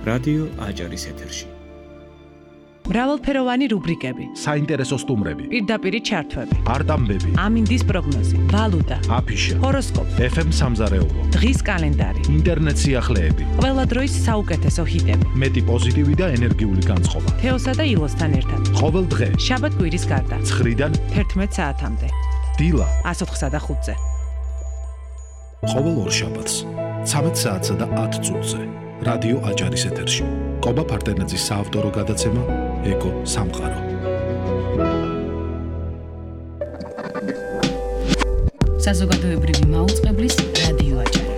რადიო აჭარის ეთერში. მრავალფეროვანი რუბრიკები, საინტერესო სტუმრები, პირდაპირი ჩართვები, არტამბები, ამინდის პროგნოზი, ვალუტა, აფიშა, ჰოროსკოპი, FM სამზარეულო, დღის კალენდარი, ინტერნეტ სიახლეები, ყველა დროის საუკეთესო ჰიტები, მეტი პოზიტივი და ენერგიული განწყობა. თეოსა და ილოსთან ერთად. ყოველ დღე, შაბათ-კვირის გარდა, 9-დან 11 საათამდე. დილა 104-ზე. ყოველ ორ შაბათს 13 საათსა და 10 წუთზე. რადიო აჭარის ეთერში. კობა ფარტენაძის საავტორო გადაცემა ეკო სამყარო. საზოგადოებრივი მაუწყებლის რადიო აჭარა.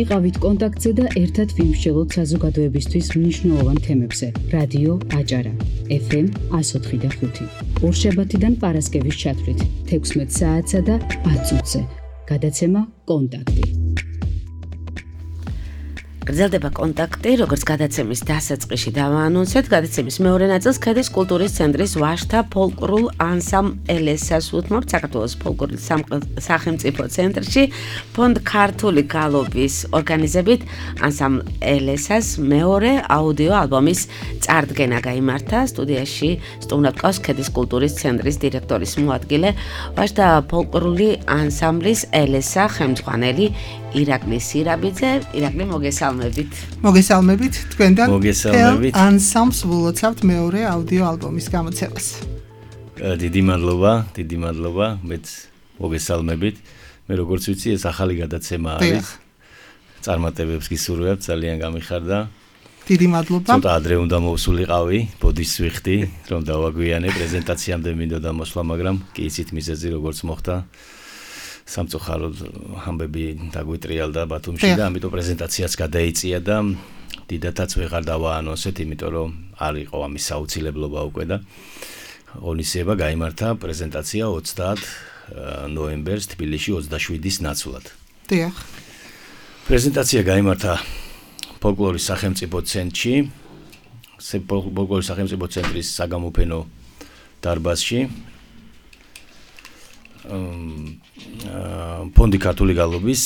იყავით კონტაქტზე და ერთად ვიმსჯელოთ საზოგადოებისთვის მნიშვნელოვან თემებზე. რადიო აჭარა. FM 104.5. ორშაბათიდან პარასკევის ჩათვლით 16 საათსა და 10 წუთზე. გადაცემა კონტაქტი. გრძელდება კონტაქტი, როგორც გადაცემის დასაწყისში დავაანონსეთ, გადაცემის მეორე ნაწილს ქედის კულტურის ცენტრის ვაჟთა ფოლკლორულ ანსამბლ ელესას უთმობთ საქართველოს ფოლკლორის სახელმწიფო ცენტრში ფონდ ქართული გალობის ორგანიზებით ანსამბლ ელესას მეორე აუდიო ალბომის წარდგენა გაიმართა. სტუდიაში სტუმრად ყავს ქედის კულტურის ცენტრის დირექტორის მოადგილე, ვაჟთა ფოლკლორული ანსამბლის ელესა ხელმძღვანელი ირაკლი სირაბიძე. ირაკლი, მოგესალმებით. მოგესალმებით თქვენთან. მოგესალმებით. ანსამბლს ვლოცავთ მეორე აუდიო ალბომის გამოცემას. დიდი მადლობა, მეც მოგესალმებით. მე როგორც ვიცი, ეს ახალი გადაცემა არის. წარმატებებს გისურვებთ, ძალიან გამიხარდა. დიდი მადლობა. ცოტა ადრე უნდა მოვსულიყავი, ბოდის ვიხდი, რომ დავაგვიანე პრეზენტაციამდე მინდოდა მოსვლა, მაგრამ კი იცით მიზეზი როგორც მოხდა. სამწუხაროდ ამბები დაგვიტრიალდა ბათუმში და ამიტომ პრეზენტაციაც გადაიწია და დიდათაც ვეღარ დავაანონსეთ, იმიტომ რომ არ იყო ამის საუცილებლობა უკვე და ღონისძიება გაიმართა პრეზენტაცია 30 ნოემბერს თბილისში 27-ის ნაცვლად. დიახ. პრეზენტაცია გაიმართა ფოლკლორის სახელმწიფო ცენტრში, ფოლკლორის სახელმწიფო ცენტრის საგამოფენო დარბაზში. ფონდი ქართული გალობის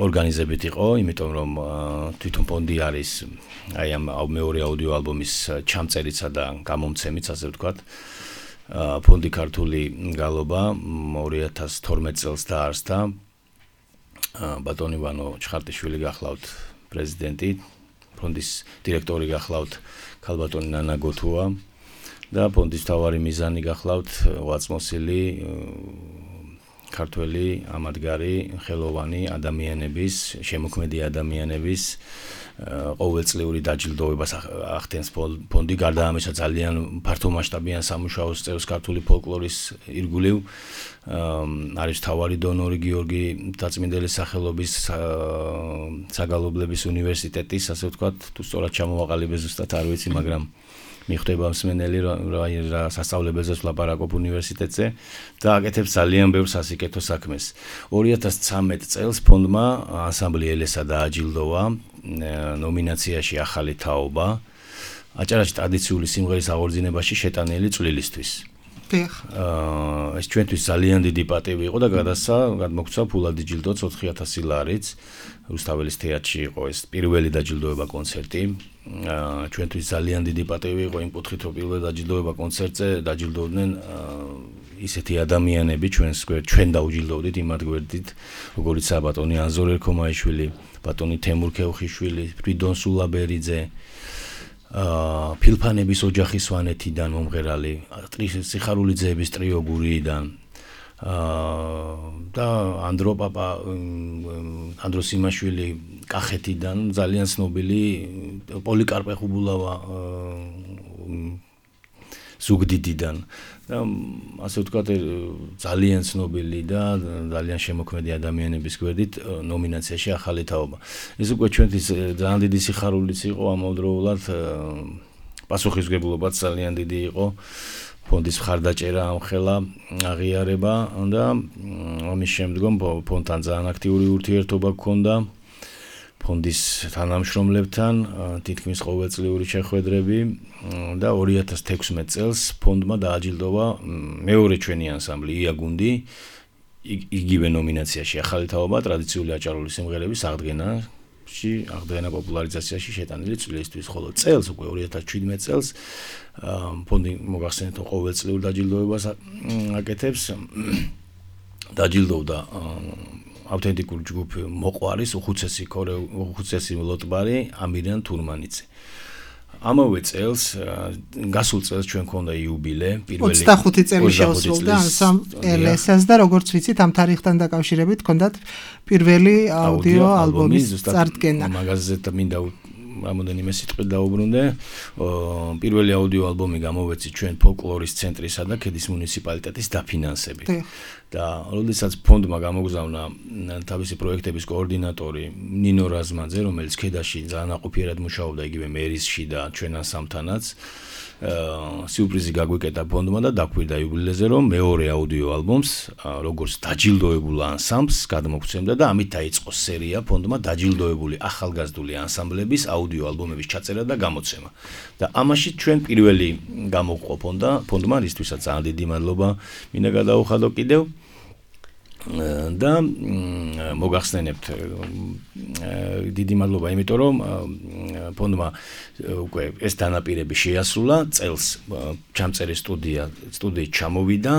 ორგანიზებით იყო, იმიტომ რომ თვითონ ფონდი არის აი ამ მეორე აუდიო ალბომის ჩამწერისა და გამომცემიც, ასე ვთქვათ. ფონდი ქართული გალობა 2012 წელს დაარსდა. ბატონი ვანო ჩხარტიშვილი გახლავთ პრეზიდენტი, ფონდის დირექტორი გახლავთ ქალბატონი ნანა გოთუა. და ფონდის მთავარი მიზანი გახლავთ უაწმოსილი ქართველი ამადგარი ხელოვანი ადამიანების, შემოქმედი ადამიანების ყოველწლიური დაჯილდოებას ახდენს ფონდი. გარდა ამისა ძალიან ფართომასშტაბიან სამუშაოს წევს ქართული ფოლკლორის ირგვლივ. არის მთავარი დონორი გიორგი დაწმინდელის სახელობის საგალობლების უნივერსიტეტის, ასე ვთქვათ, თუ სწორად ჩამოვაყალიბე ზუსტად არ ვიცი, მაგრამ მიხვდება მსმენელი რა სასწავლებელზეც ვლაპარაკობ უნივერსიტეტზე და აკეთებს ძალიან ბევრ სასიკეთო საქმეს. 2013 წელს ფონდმა ანსამბლი ელესა დააჯილდოვა ნომინაციაში ახალი თაობა აჭარაში ტრადიციული სიმღერის აღორძინებაში შეტანილი წვლილისთვის. ეს ჩვენთვის ძალიან დიდი პატივი იყო და გადმოგცა ფულადი ჯილდოც 4000 ლარიც. რუსთაველის თეატრში იყო ეს პირველი დაჯილდოება კონცერტი. ჩვენთვის ძალიან დიდი პატივი იყო იმ კუთხით, რომ პირველ დაჯილდოება კონცერტზე დაჯილდოვდნენ ისეთი ადამიანები, ჩვენ დაუჯილდოვდით იმათ გვერდით, როგორიცაა ბატონი ანზორ ერქომაიშვილი, ბატონი თემურ ქევხიშვილი, ფრიდონ სულაბერიძე, ფილფანების ოჯახის სვანეთიდან მომღერალი, სიხარულიძეების ტრიო გურიიდან და ანდრო სიმაშვილი კახეთიდან, ძალიან ცნობილი პოლიკარპე ხუბულავა ზუგდიდიდან და ასე ვთქვათ ძალიან ცნობილი და ძალიან შემოქმედი ადამიანების გვერდით ნომინაციაში ახალი თაობა. ეს უკვე ჩვენთვის ძალიან დიდი სიხარულიც იყო, ამავდროულად პასუხისმგებლობაც ძალიან დიდი იყო. ფონდის მხარდაჭერა ამხელა აღიარება და ამის შემდგომ ფონდთან ძალიან აქტიური ურთიერთობა გქონდა ფონდის თანამშრომლებთან, თითქმის ყოველწლიური შეხვედრები და 2016 წელს ფონდმა დააჯილდოვა მეორე ჩვენი ანსამბლი იაგუნდი იგივე ნომინაციაში ახალი თაობა ტრადიციული აჭარული სიმღერების აღდგენა პოპულარიზაციაში შეტანილი წვლილისთვის, ხოლო წელს უკვე 2017 წელს ფონდი მოგახსენეთ რომ ყოველწლიურ დაჯილდოებას აკეთებს. დაჯილდოვდა ავთენტიკური ჯგუფი მოყვარის უხუცესი ლოტბარი ამირიან თურმანიძე. ამავე წელს გასულ წელს ჩვენ ქონდა იუბილე, პირველი 25 წელი შეუსრულდა ანსამბლ და როგორც ვიცით ამ თარიღთან დაკავშირებით ქონდათ პირველი აუდიო ალბომის წარდგენა. მაგაზე მინდა რამოდენიმე სიტყვით დაუბრუნდე. პირველი აუდიო ალბომი გამოვეცით ჩვენ ფოლკლორის ცენტრისა და ქედის მუნიციპალიტეტის დაფინანსებით. და როდესაც ფონდმა გამოგზავნა თავისი პროექტების კოორდინატორი ნინო რაზმაძე, რომელიც ქედაში ძალიან აყოფიერად მუშაობდა იგივე მერისში და ჩვენ ანსამბლთანაც, სიურპრიზი გაგვიკეტა ფონდმა და დაგვირდა იუბილეზე, რომ მეორე აუდიო ალბომს, როგორც დაჯილდოებულ ანსამბლს გადმოგცემდა და ამით დაიწყო სერია ფონდმა დაჯილდოებული ახალგაზრდული ანსამბლების აუდიო ალბომების ჩაწერა და გამოცემა. და ამაში ჩვენ პირველი გამოგვყო ფონდმა, რისთვისაც ძალიან დიდი მადლობა მინდა გადაუხადო კიდევ. და მოგახსენებთ დიდი მადლობა, იმიტომ რომ ფონდმა უკვე ეს დანაპირები შეასრულა, წელს ჩამწერი სტუდიით ჩამოვიდა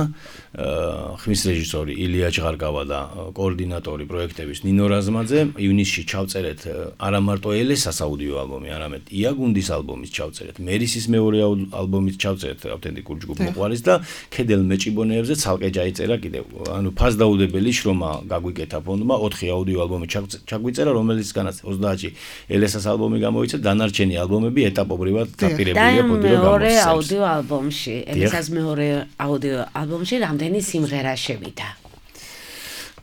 ხმის რეჟისორი ილია ჭღარკავა და კოორდინატორი პროექტების ნინო რაზმაძე. ივნისში ჩავწერეთ არა მარტო ელესას აუდიო ალბომი, არამედ იაგუნდის ალბომის ჩავწერეთ, მერისის მეორე ალბომის ჩავწერეთ ავთენტიკურ ჯგუფ მოყვარის და ქედელ მეჭიბონეებზე ცალკე ჩაიწერა კიდევ. ანუ ფასდაუდებელი შრომა გაგვიკეთა ფონდმა 4 აუდიო ალბომი ჩაგვიწერა, რომელიცგანაც 30-ში ელესას ალბომი გამოიცა, დანარჩენი ალბომები ეტაპობრივად დაპირებულია ფონდი რომ მეორე აუდიო ალბომში, ელესას მეორე აუდიო ალბომში რამდენი სიმღერა შევიდა?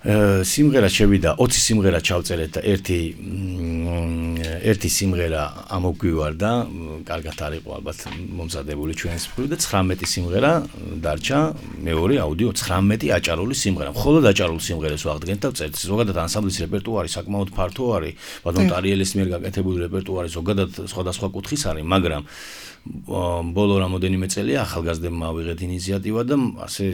სიმღერა შევიდა 20 სიმღერა ჩავწერეთ და ერთი სიმღერა ამოგვივარდა, კარგად არ იყო ალბათ მომზადებული ჩვენს მხრივ და 19 სიმღერა დარჩა მეორე აუდიო 19 აჭარული სიმღერა. მხოლოდ აჭარულ სიმღერებს ვაღდგენთ და ვწერთ. ზოგადად ანსამბლის რეპერტუარი საკმაოდ ფართო არის, ბატონ ტარიელის მიერ გაკეთებული რეპერტუარი ზოგადად სხვადასხვა კუთხის არის, მაგრამ ბოლო რამოდენიმე წელია ახალგაზრდებმა ავიღეთ ინიციატივა და ასე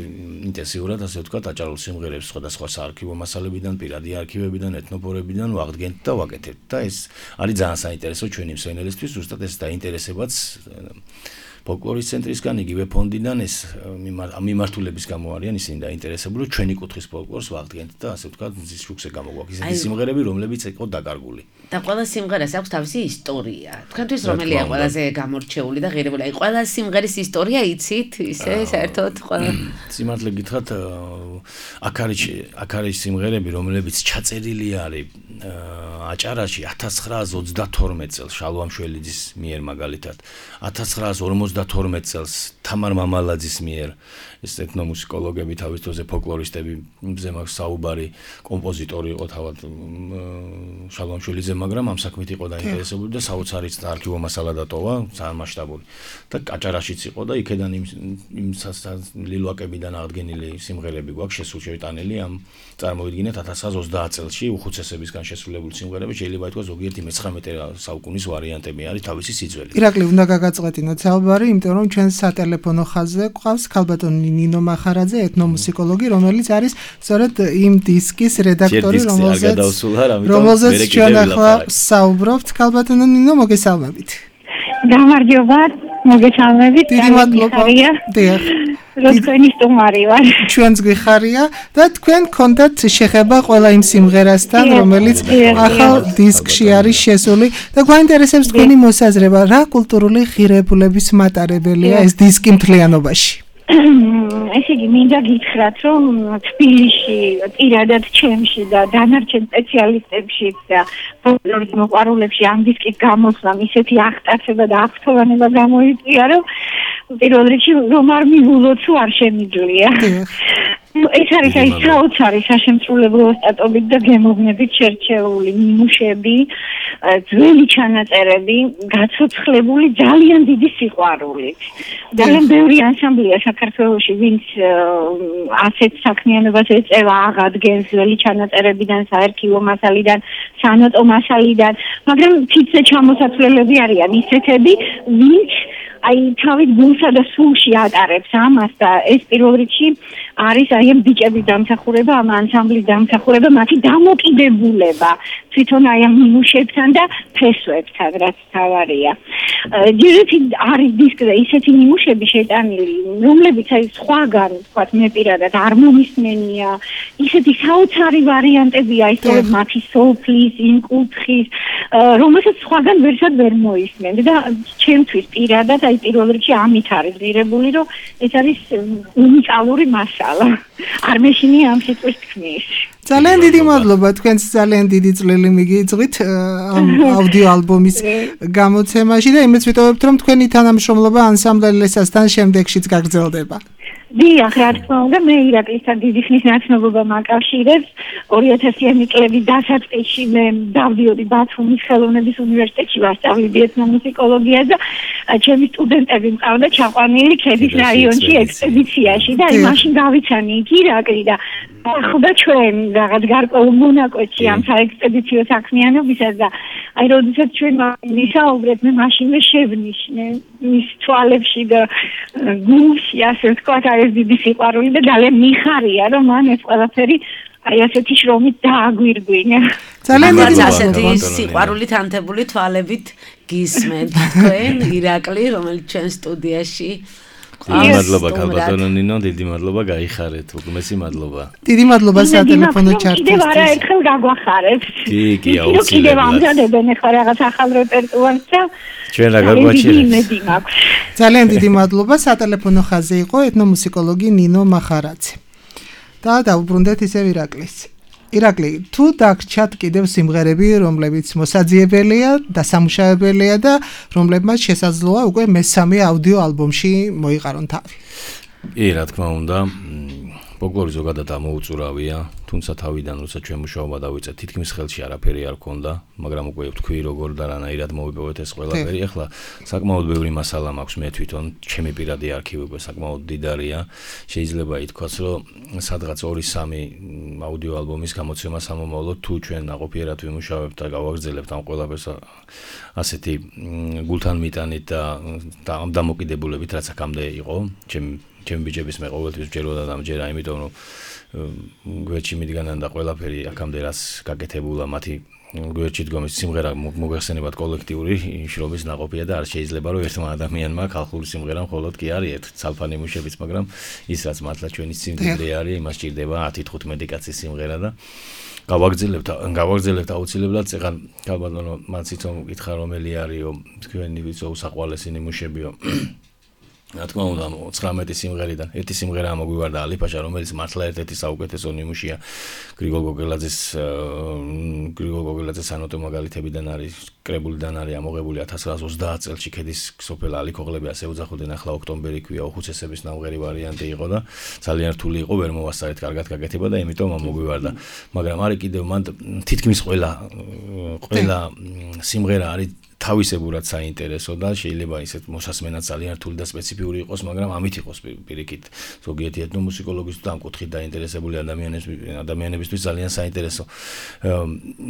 ინტენსიურად, ასე ვთქვათ, აჭარულ სიმღერებს სხვადასხვა საარქივო მასალებიდან, პირადი არქივებიდან, ეთნოპორებიდან ვაღდგენთ და ვაკეთებთ. და ეს არის ძალიან საინტერესო ჩვენი მსმენელისთვის, ზუსტად ეს დაინტერესებაც ფოლკლორის ცენტრისგან, იგივე ფონდიდან ეს მიმართულების გამო არიან ისინი დაინტერესებული, ჩვენი კუთხის ფოლკლორს ვაღდგენთ და ასე ვთქვათ, მზის შუქზე გამოგვაქვს ისეთი სიმღერები, რომლებიც იყო დაკარგული. და ყველა სიმღერას აქვს თავისი ისტორია. თქვენთვის რომელია ყველაზე გამორჩეული და ღირებული? აი ყველა სიმღერის ისტორია იცით, ისე საერთოდ ყველა. სიმართლე გითხრათ, აქ არის სიმღერები, რომლებიც ჩაწერილი არის აჭარაში 1932 წელს შალვამშველიძის მიერ მაგალითად, 1952 წელს თამარ მამალაძის მიერ, ეს ეთნომუსიკოლოგები თავის დროზე ფოლკლორისტები მზე მაქვს საუბარი, კომპოზიტორი იყო თავად შალვამშველიძე, მაგრამ ამ საქმით იყო დაინტერესებული და საოცარი არქივო მასალა დატოვა, ძალიან მასშტაბური. და აჭარაშიც იყო და იქედან იმ ლილვაკებიდან აღდგენილი სიმღერები გვაქვს შესულშევიტანილი, ამ წარმოვიდგინეთ 1930 წელში უხუცესებისგან შესრულებული სიმღერები, შეიძლება ითქვას ზოგიერთი მე-19 საუკუნის ვარიანტები არის თავისი სიძველი. ირაკლი, უნდა გაგაწყვეტინოთ საუბარი, იმიტომ რომ ჩვენ სატელეფონო ხაზზე გვყავს ქალბატონი ნინო მახარაძე, ეთნომუსიკოლოგი, რომელიც არის სწორედ იმ დისკის რედაქტორი, რომელზეც ჩვენ ახლა საუბრობთ. ქალბატონო ნინო, მოგესალმებით. გამარჯობა, მოგესალმებით. დიდი მადლობა. დიახ. თქვენი სტუმარი ვარ. ჩვენც გვიხარია და თქვენ გქონდათ შეხება ყველა იმ სიმღერასთან, რომელიც ახალ დისკში არის შესული და გვაინტერესებს თქვენი მოსაზრება, რა კულტურული ღირებულების მატარებელია ეს დისკი მთლიანობაში? ესე იგი, მინდა გითხრათ, რომ თბილისში, პირადად ჩემში და დანარჩენ სპეციალისტებში და ფოლკლორის მოყვარულებში ამ დისკის გამოსვლამ ისეთი აღტაცება და აღფრთოვანება გამოიწვია, რომ პირველ რიგში რომ არ მივულოთ, თუ არ შემიძლია. ეს არის აი საოცარი საშემსრულებლო ოსტატობით და გემოვნებით შერჩეული ნიმუშები, ძველი ჩანაწერები, გაცოცხლებული ძალიან დიდი სიყვარულით. ძალიან ბევრი ანსამბლია საქართველოში, ვინც ასეთ საქმიანობას ეწევა, აღადგენს ძველი ჩანაწერებიდან, საარქივო მასალიდან, სანოტო მასალიდან, მაგრამ თითზე ჩამოსაცვლელები არიან ისეთები, ვინც აი თავით გულსა და სულში ატარებს ამას და ეს პირველ რიგში არის აი ამ ბიჭების დამსახურება, ამ ანსამბლის დამსახურება, მათი დამოკიდებულება თვითონ აი ამ ნიმუშებთან და ფესვებთან, რაც თავარია. ჯერეთი არის დისკზე ისეთი ნიმუშები შეტანილი, რომლებიც აი სხვაგან, ვთქვათ, მე პირადად არ მომისმენია, ისეთი საოცარი ვარიანტებია ისე მათი სოფლის, იმ კუთხის, რომელსაც სხვაგან ვერსად ვერ მოისმენ და ჩემთვის პირადად აი პირველ რიგში ამით არის ღირებული, რომ ეს არის უნიკალური მასალა. არ მეშინია ამ სიტყვის თქმის. ძალიან დიდი მადლობა, თქვენს ძალიან დიდი წვლილი მიგიწვით ამ აუდიო ალბომის გამოცემაში და იმეც ვიტოვებთ, რომ თქვენი თანამშრომლობა ანსამბლ ლესასთან შემდეგშიც გაგრძელდება. დიახ, რა თქმა უნდა, მე ირაკლისთან დიდი ხნის ნაცნობობა მაკავშირებს. 2000-იანი წლების დასაწყისში მე დავდიოდი ბათუმის ხელოვნების უნივერსიტეტში ვასწავლედი ეთნომუსიკოლოგიას და ჩემი სტუდენტები მყავდა ჩაყვანილი ქედის რაიონში ექსპედიციაში და მაშინ გავიცანი იქ ირაკლი და ახლა ჩვენ რაღაც გარკვეულ მონაკვეთში ამ საექსპედიციო საქმიანობისას და აი როდესაც ჩვენ ვისაუბრეთ მე მაშინვე შევნიშნე მის თვალებში და გულში ასე ვთქვათ აი ეს დიდი სიყვარული და ძალიან მიხარია რომ მან ეს ყველაფერი აი ასეთი შრომით დააგვირგვინა. ძალიან დიდი ასეთი სიყვარულით ანთებული თვალებით გისმენთ თქვენ ირაკლი რომელიც ჩვენ სტუდიაში მადლობა ქალბატონო ნინო, დიდი მადლობა გაიხარეთ, უგმესი მადლობა. დიდი მადლობა სატელეფონო ჩართვისთვის. კიდევ არაერთხელ გაგვახარეთ. კი, აუცილებლად. კიდევ ამზადებენ ახლა რაღაც ახალ რეპერტუარს და ჩვენ რა გაგვაჩერეთ. ძალიან დიდი მადლობა, სატელეფონო ხაზზე იყო ეთნომუსიკოლოგი ნინო მახარაძე. და დავუბრუნდეთ ისევ ირაკლის. ირაკლი, თუ დაგრჩათ კიდევ სიმღერები, რომლებიც მოსაძიებელია და სამუშაებელია და რომლებმაც შესაძლოა უკვე მესამე აუდიო ალბომში მოიყარონ თავი. კი, რა თქმა უნდა, ფოლკლორი ზოგადად ამოუწურავია, თუმცა თავიდან როცა ჩვენ მუშაობა დავიწყეთ, თითქმის ხელში არაფერი არ ქონდა, მაგრამ უკვე ვთქვი როგორ და რანაირად მოვიპოვეთ ეს ყველაფერი. ახლა საკმაოდ ბევრი მასალა მაქვს მე თვითონ, ჩემი პირადი არქივი უკვე საკმაოდ დიდარია. შეიძლება ითქვას, რომ სადღაც 2-3 აუდიო ალბომის გამოცემა სამომავლოდ თუ ჩვენ ნაყოფიერად ვიმუშავებთ და გავაგრძელებთ ამ ყველაფერს ასეთი გულთან მიტანით და ამ დამოკიდებულებით, რაც აქამდე იყო, ჩემი ბიჭების მე ყოველთვის ვჯეროდა და ამჯერა, იმიტომ რომ გვერდში მიდგანან და ყველაფერი აქამდე რაც გაკეთებულა მათი გვერდში დგომის სიმღერა მოგეხსენებათ კოლექტიური შრომის ნაყოფია და არ შეიძლება რომ ერთმა ადამიანმა ხალხური სიმღერა მხოლოდ კი არის ერთ ცალფანი მუშებიც, მაგრამ ის რაც მართლა ჩვენი სიმდიდრე არის, იმას ჭირდება 10-15 კაცის სიმღერა და გავაგრძელებთ აუცილებლად. ეხლა ქალბატონო მან თვითონ გითხრა რომელი არისო თქვენი უსაყვარლესი ნიმუშებიო. რა თქმა უნდა 19 სიმღერიდან ერთი სიმღერა მოგვივარდა ალიფაშა, რომელიც მართლა ერთ-ერთი საუკეთესო ნიმუშია გრიგოლ გოგელაძეს ანოტო მაგალითებიდან არის კრებულიდან არის ამოღებული 1930 წელს ქედის სოფელ ალიქოღლები ასე უძახოდნენ, ახლა ოქტომბერი ქვია, უხუცესების ნამღერი ვარიანტი იყო და ძალიან რთული იყო, ვერ მოვასწარეთ კარგად გაკეთება და იმიტომ მოგვივარდა. მაგრამ არის კიდევ მან თითქმის ყველა სიმღერა არის თავისებურად საინტერესო და შეიძლება ისეთ მოსასმენად ძალიან რთული და სპეციფიური იყოს, მაგრამ ამით იყოს პირიქით ზოგიერთი ეთნომუსიკოლოგის და ამ კუთხით დაინტერესებული ადამიანებისთვის ძალიან საინტერესო.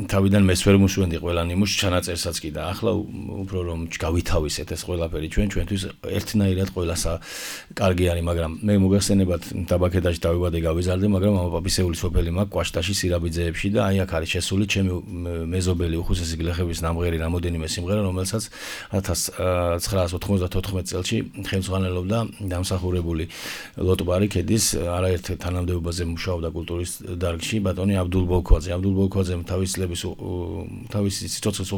თავიდან მეც ვერ მუშაობდი ყველა ნიმუშს ჩანაწერსაც კი და ახლა უფრო რომ გავითავისეთ ეს ყველაფერი ჩვენთვის ერთნაირად ყველასა კარგი არის, მაგრამ მე მოგეხსენებათ დაბაქედაში დავიბადე გავიზარდე, მაგრამ ამაპაპისეული სოფელი მაქვს კვაშტაში სირაბიძეებში და აი აქ არის შესული ჩემი მეზობელი უხუცესი გლეხების ნამღერი რამოდენიმე სიმღერა, რომელსაც 1994 წელში ხელმძღვანელობდა დამსახურებული ლოტბარი ქედის არაერთ თანამდებობაზე მუშაობდა კულტურის დარგში ბატონი აბდულ ბოლქვაძე. აბდულ ბოლქვაძემ თავისი სიცოცხლის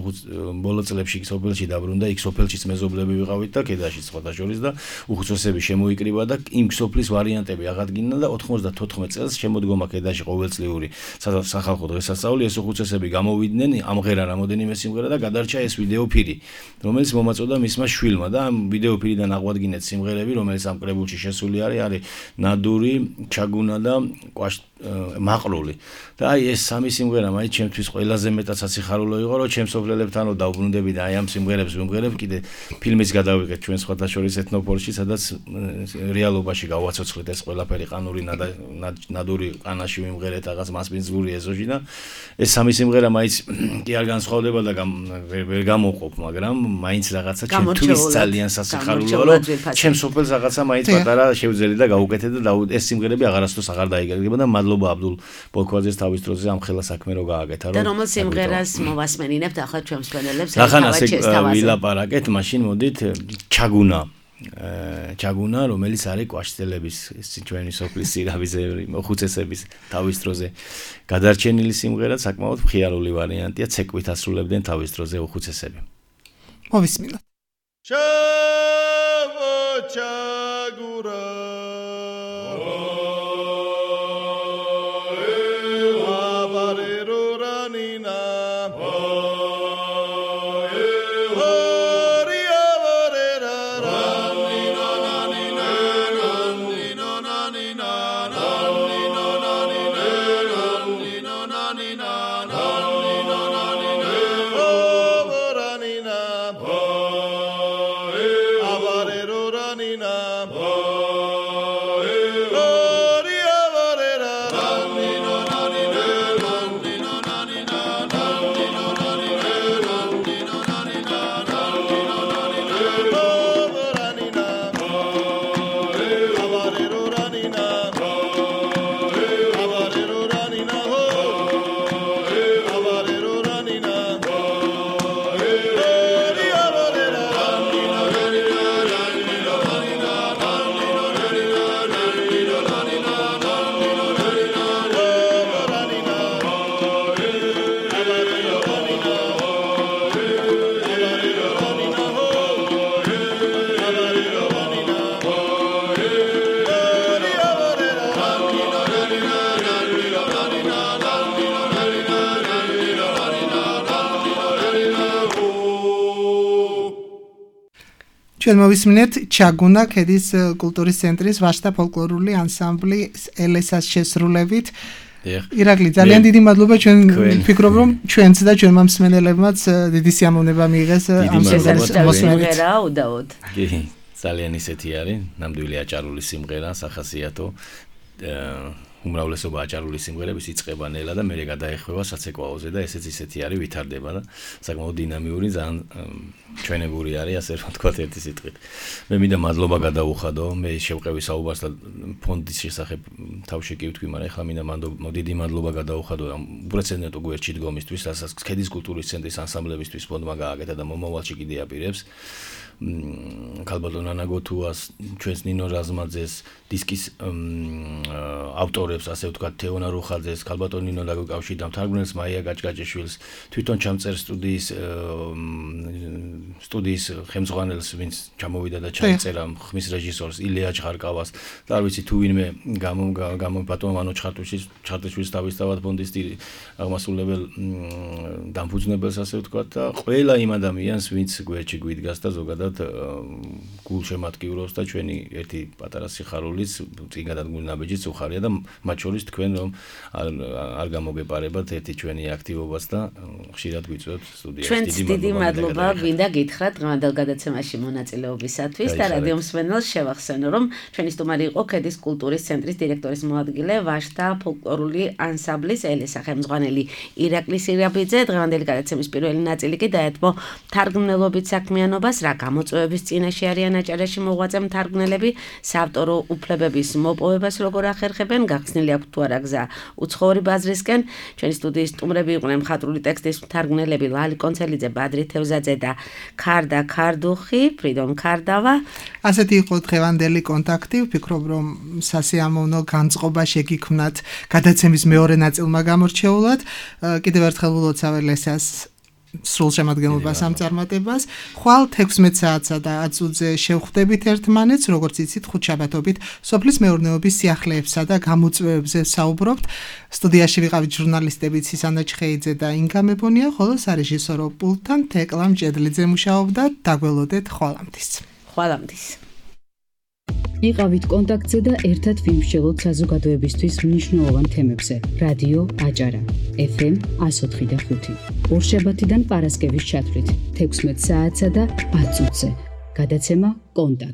ბოლო წლებში სოფელში დაბრუნდა, იქ სოფელშიც მეზობლები ვიყავით და ქედაშიც სხვათა შორის და უხუცესები შემოიკრიბა და იმ სოფლის ვარიანტები აღადგინა და 94 წელს შემოდგომა ქედაში ყოველწლიური სახალხო დღესასწაული, ეს უხუცესები გამოვიდნენ, ამღერა რამოდენიმე სიმღერა და გადარჩა ეს ვიდეო ფილი, რომელიც მომაწოდა მისმა შვილმა და ამ ვიდეო ფილიდან აღვადგინეთ სიმღერები, რომელიც ამ კრებულში შესული არის ნადური, ჩაგუნა და მაყრული. და აი ეს სამი სიმღერა მაინც ჩემთვის ყველაზე მეტად სასიხარულო იყო, რომ ჩემს ოფლებთანო დავბრუნდები და აი ამ სიმღერებს ვიმღერებ, კიდე ფილმის გადავიღეთ ჩვენ სხვათა შორის ეთნოპოლში, სადაც რეალობაში გავაცოცხლეთ ეს ყველაფერი ყანური ნადური ყანაში ვიმღერეთ რაღაც მასპინძური ეზოში და ეს სამი სიმღერა მაინც კი არ განსხვავდება და ვერ გამოვყოფ, მაგრამ მაინც რაღაცა ჩემთვის ძალიან სასიხარულოა, რომ ჩემს ოფელს რაღაცა მაინც პატარა შევძელი და გავუკეთე და ეს სიმღერები აღარასდროს აღარ დაიგეგმება და მადლობა აბდულ ბოლქვაძეს თავის დროზე ამ ხელა საქმე რო გააკეთა, რომ და რომელ სიმღერას მოვასმენინებთ ახლა ჩვენს მფლობელებს ახლა ვილაპარაკეთ, მაშინ მოდით ჩაგუნა, რომელიც არის კვაშტელების ჩვენი სოფლის სირავიზეები, მოხუცესების თავის დროზე გადარჩენილი სიმღერა, საკმაოდ მხიარული ვარიანტია, ცეკვით ასრულებდნენ თავის დროზე უხუცესები. მოვისმინოთ. ჩვენ მოვისმინეთ ჩაგუნა ქედის კულტურის ცენტრის ვაჟთა ფოლკლორული ანსამბლი ელესას შესრულებით. ირაკლი, ძალიან დიდი მადლობა, ჩვენ ვფიქრობ, რომ ჩვენც და ჩვენმა მსმენელებმაც დიდი სიამოვნება მიიღეს ამ სიმღერით. უდაოდ. კი, ძალიან ისეთი არის, ნამდვილი აჭარული სიმღერა, სახასიათო. უმრავლესობა აჭარული სიმღერების იწყება ნელა და მერე გადაეხვევა საცეკვაოზე და ესეც ისეთი არის, ვითარდება და საკმაოდ დინამიური, ძალიან ჩვენებური არის, ასე რომ თქვა ერთი სიტყვით. მე მინდა მადლობა გადაუხადო, მე შევყევი საუბარს და ფონდის შესახებ თავში კი ვთქვი, მაგრამ ეხლა მინდა დიდი მადლობა გადაუხადო ამ უპრეცედენტო გვერდში დგომისთვის, რასაც ქედის კულტურის ცენტრის ანსამბლებისთვის ფონდმა გააკეთა და მომავალში კიდე აპირებს. ქალბატონ ანა გოთუას, ჩვენს ნინო რაზმაძეს, დისკის ავტორებს, ასე ვთქვათ, თეონა რუხაძეს, ქალბატონ ნინო დაგუკავშირდა, მთარგმნელს მაია გაჭგაჭიშვილს, თვითონ ჩამწერ სტუდიის ხელმძღვანელს, ვინც ჩამოვიდა და ჩაიწერა, ხმის რეჟისორს ილია ჭხარკავას და არ ვიცი თუ ვინმე ბატონ მანო ჩხარტიშვილის თავისთავად ფონდის აღმასრულებელ დამფუძნებელს, ასე ვთქვათ და ყველა იმ ადამიანს, ვინც გვერდში გვიდგას და ზოგადად გულშემატკივრობს და ჩვენი ერთი პატარა სიხარულიც წინ გადადგმული ნაბიჯიც უხარია და მათ შორის თქვენ რომ არ გამოგეპარებათ ერთი ჩვენი აქტივობას და ხშირად გვიწვევთ სტუდიაში. დიდი მადლობა გინდა გითხრათ დღევანდელ გადაცემაში მონაწილეობისათვის და რადიო მსმენელს შევახსენო რომ ჩვენი სტუმარი იყო ქედის კულტურის ცენტრის დირექტორის მოადგილე ვაჟთა ფოლკლორული ანსამბლის ელესა ხელმძღვანელი ირაკლი სირაბიძე. დღევანდელი გადაცემის პირველი ნაწილი კი დაეთმო თარგმნელობით საქმიანობას, რა გამოწვევების წინაშე არიან აჭარაში მოღვაწე მთარგმნელები, საავტორო უფლებების მოპოვებას როგორ ახერხებენ, გახსნილი აქვს თუ არა გზა უცხოური ბაზრისკენ. ჩვენი სტუდიის სტუმრები იყვნენ მხატვრული ტექსტის მთარგმნელები ლალი კონცელიძე, ბადრი თევზაძე და ქარდა ქარდუხი, ფრიდონ ქარდავა. ასეთი იყო დღევანდელი კონტაქტი. ვფიქრობ, რომ სასიამოვნო განწყობა შეგიქმნათ გადაცემის მეორე ნაწილმა გამორჩეულად. კიდევ ერთხელ ვილოცავ ელესას სრულ შემადგენლობას ამ წარმატებას. ხვალ 16 საათსა და 10 წუთზე შევხვდებით ერთმანეთს, როგორც იცით, ხუთშაბათობით სოფლის მეურნეობის სიახლეებსა და გამოწვევებზე საუბრობთ. სტუდიაში ვიყავით ჟურნალისტები ცისანა ჩხეიძე და ინგა მებონია, ხოლო სარეჟისორო პულტთან თეკლა მჭედლიძე მუშაობდა. დაგველოდეთ ხვალამდის. ხვალამდის. იყავით კონტაქტზე და ერთად ვიმსჯელოთ საზოგადოებისთვის მნიშვნელოვან თემებზე. რადიო აჭარა, FM 104.5. ორშაბათიდან პარასკევის ჩათვლით 16 საათსა და 10 წუთზე. გადაცემა კონტაქტ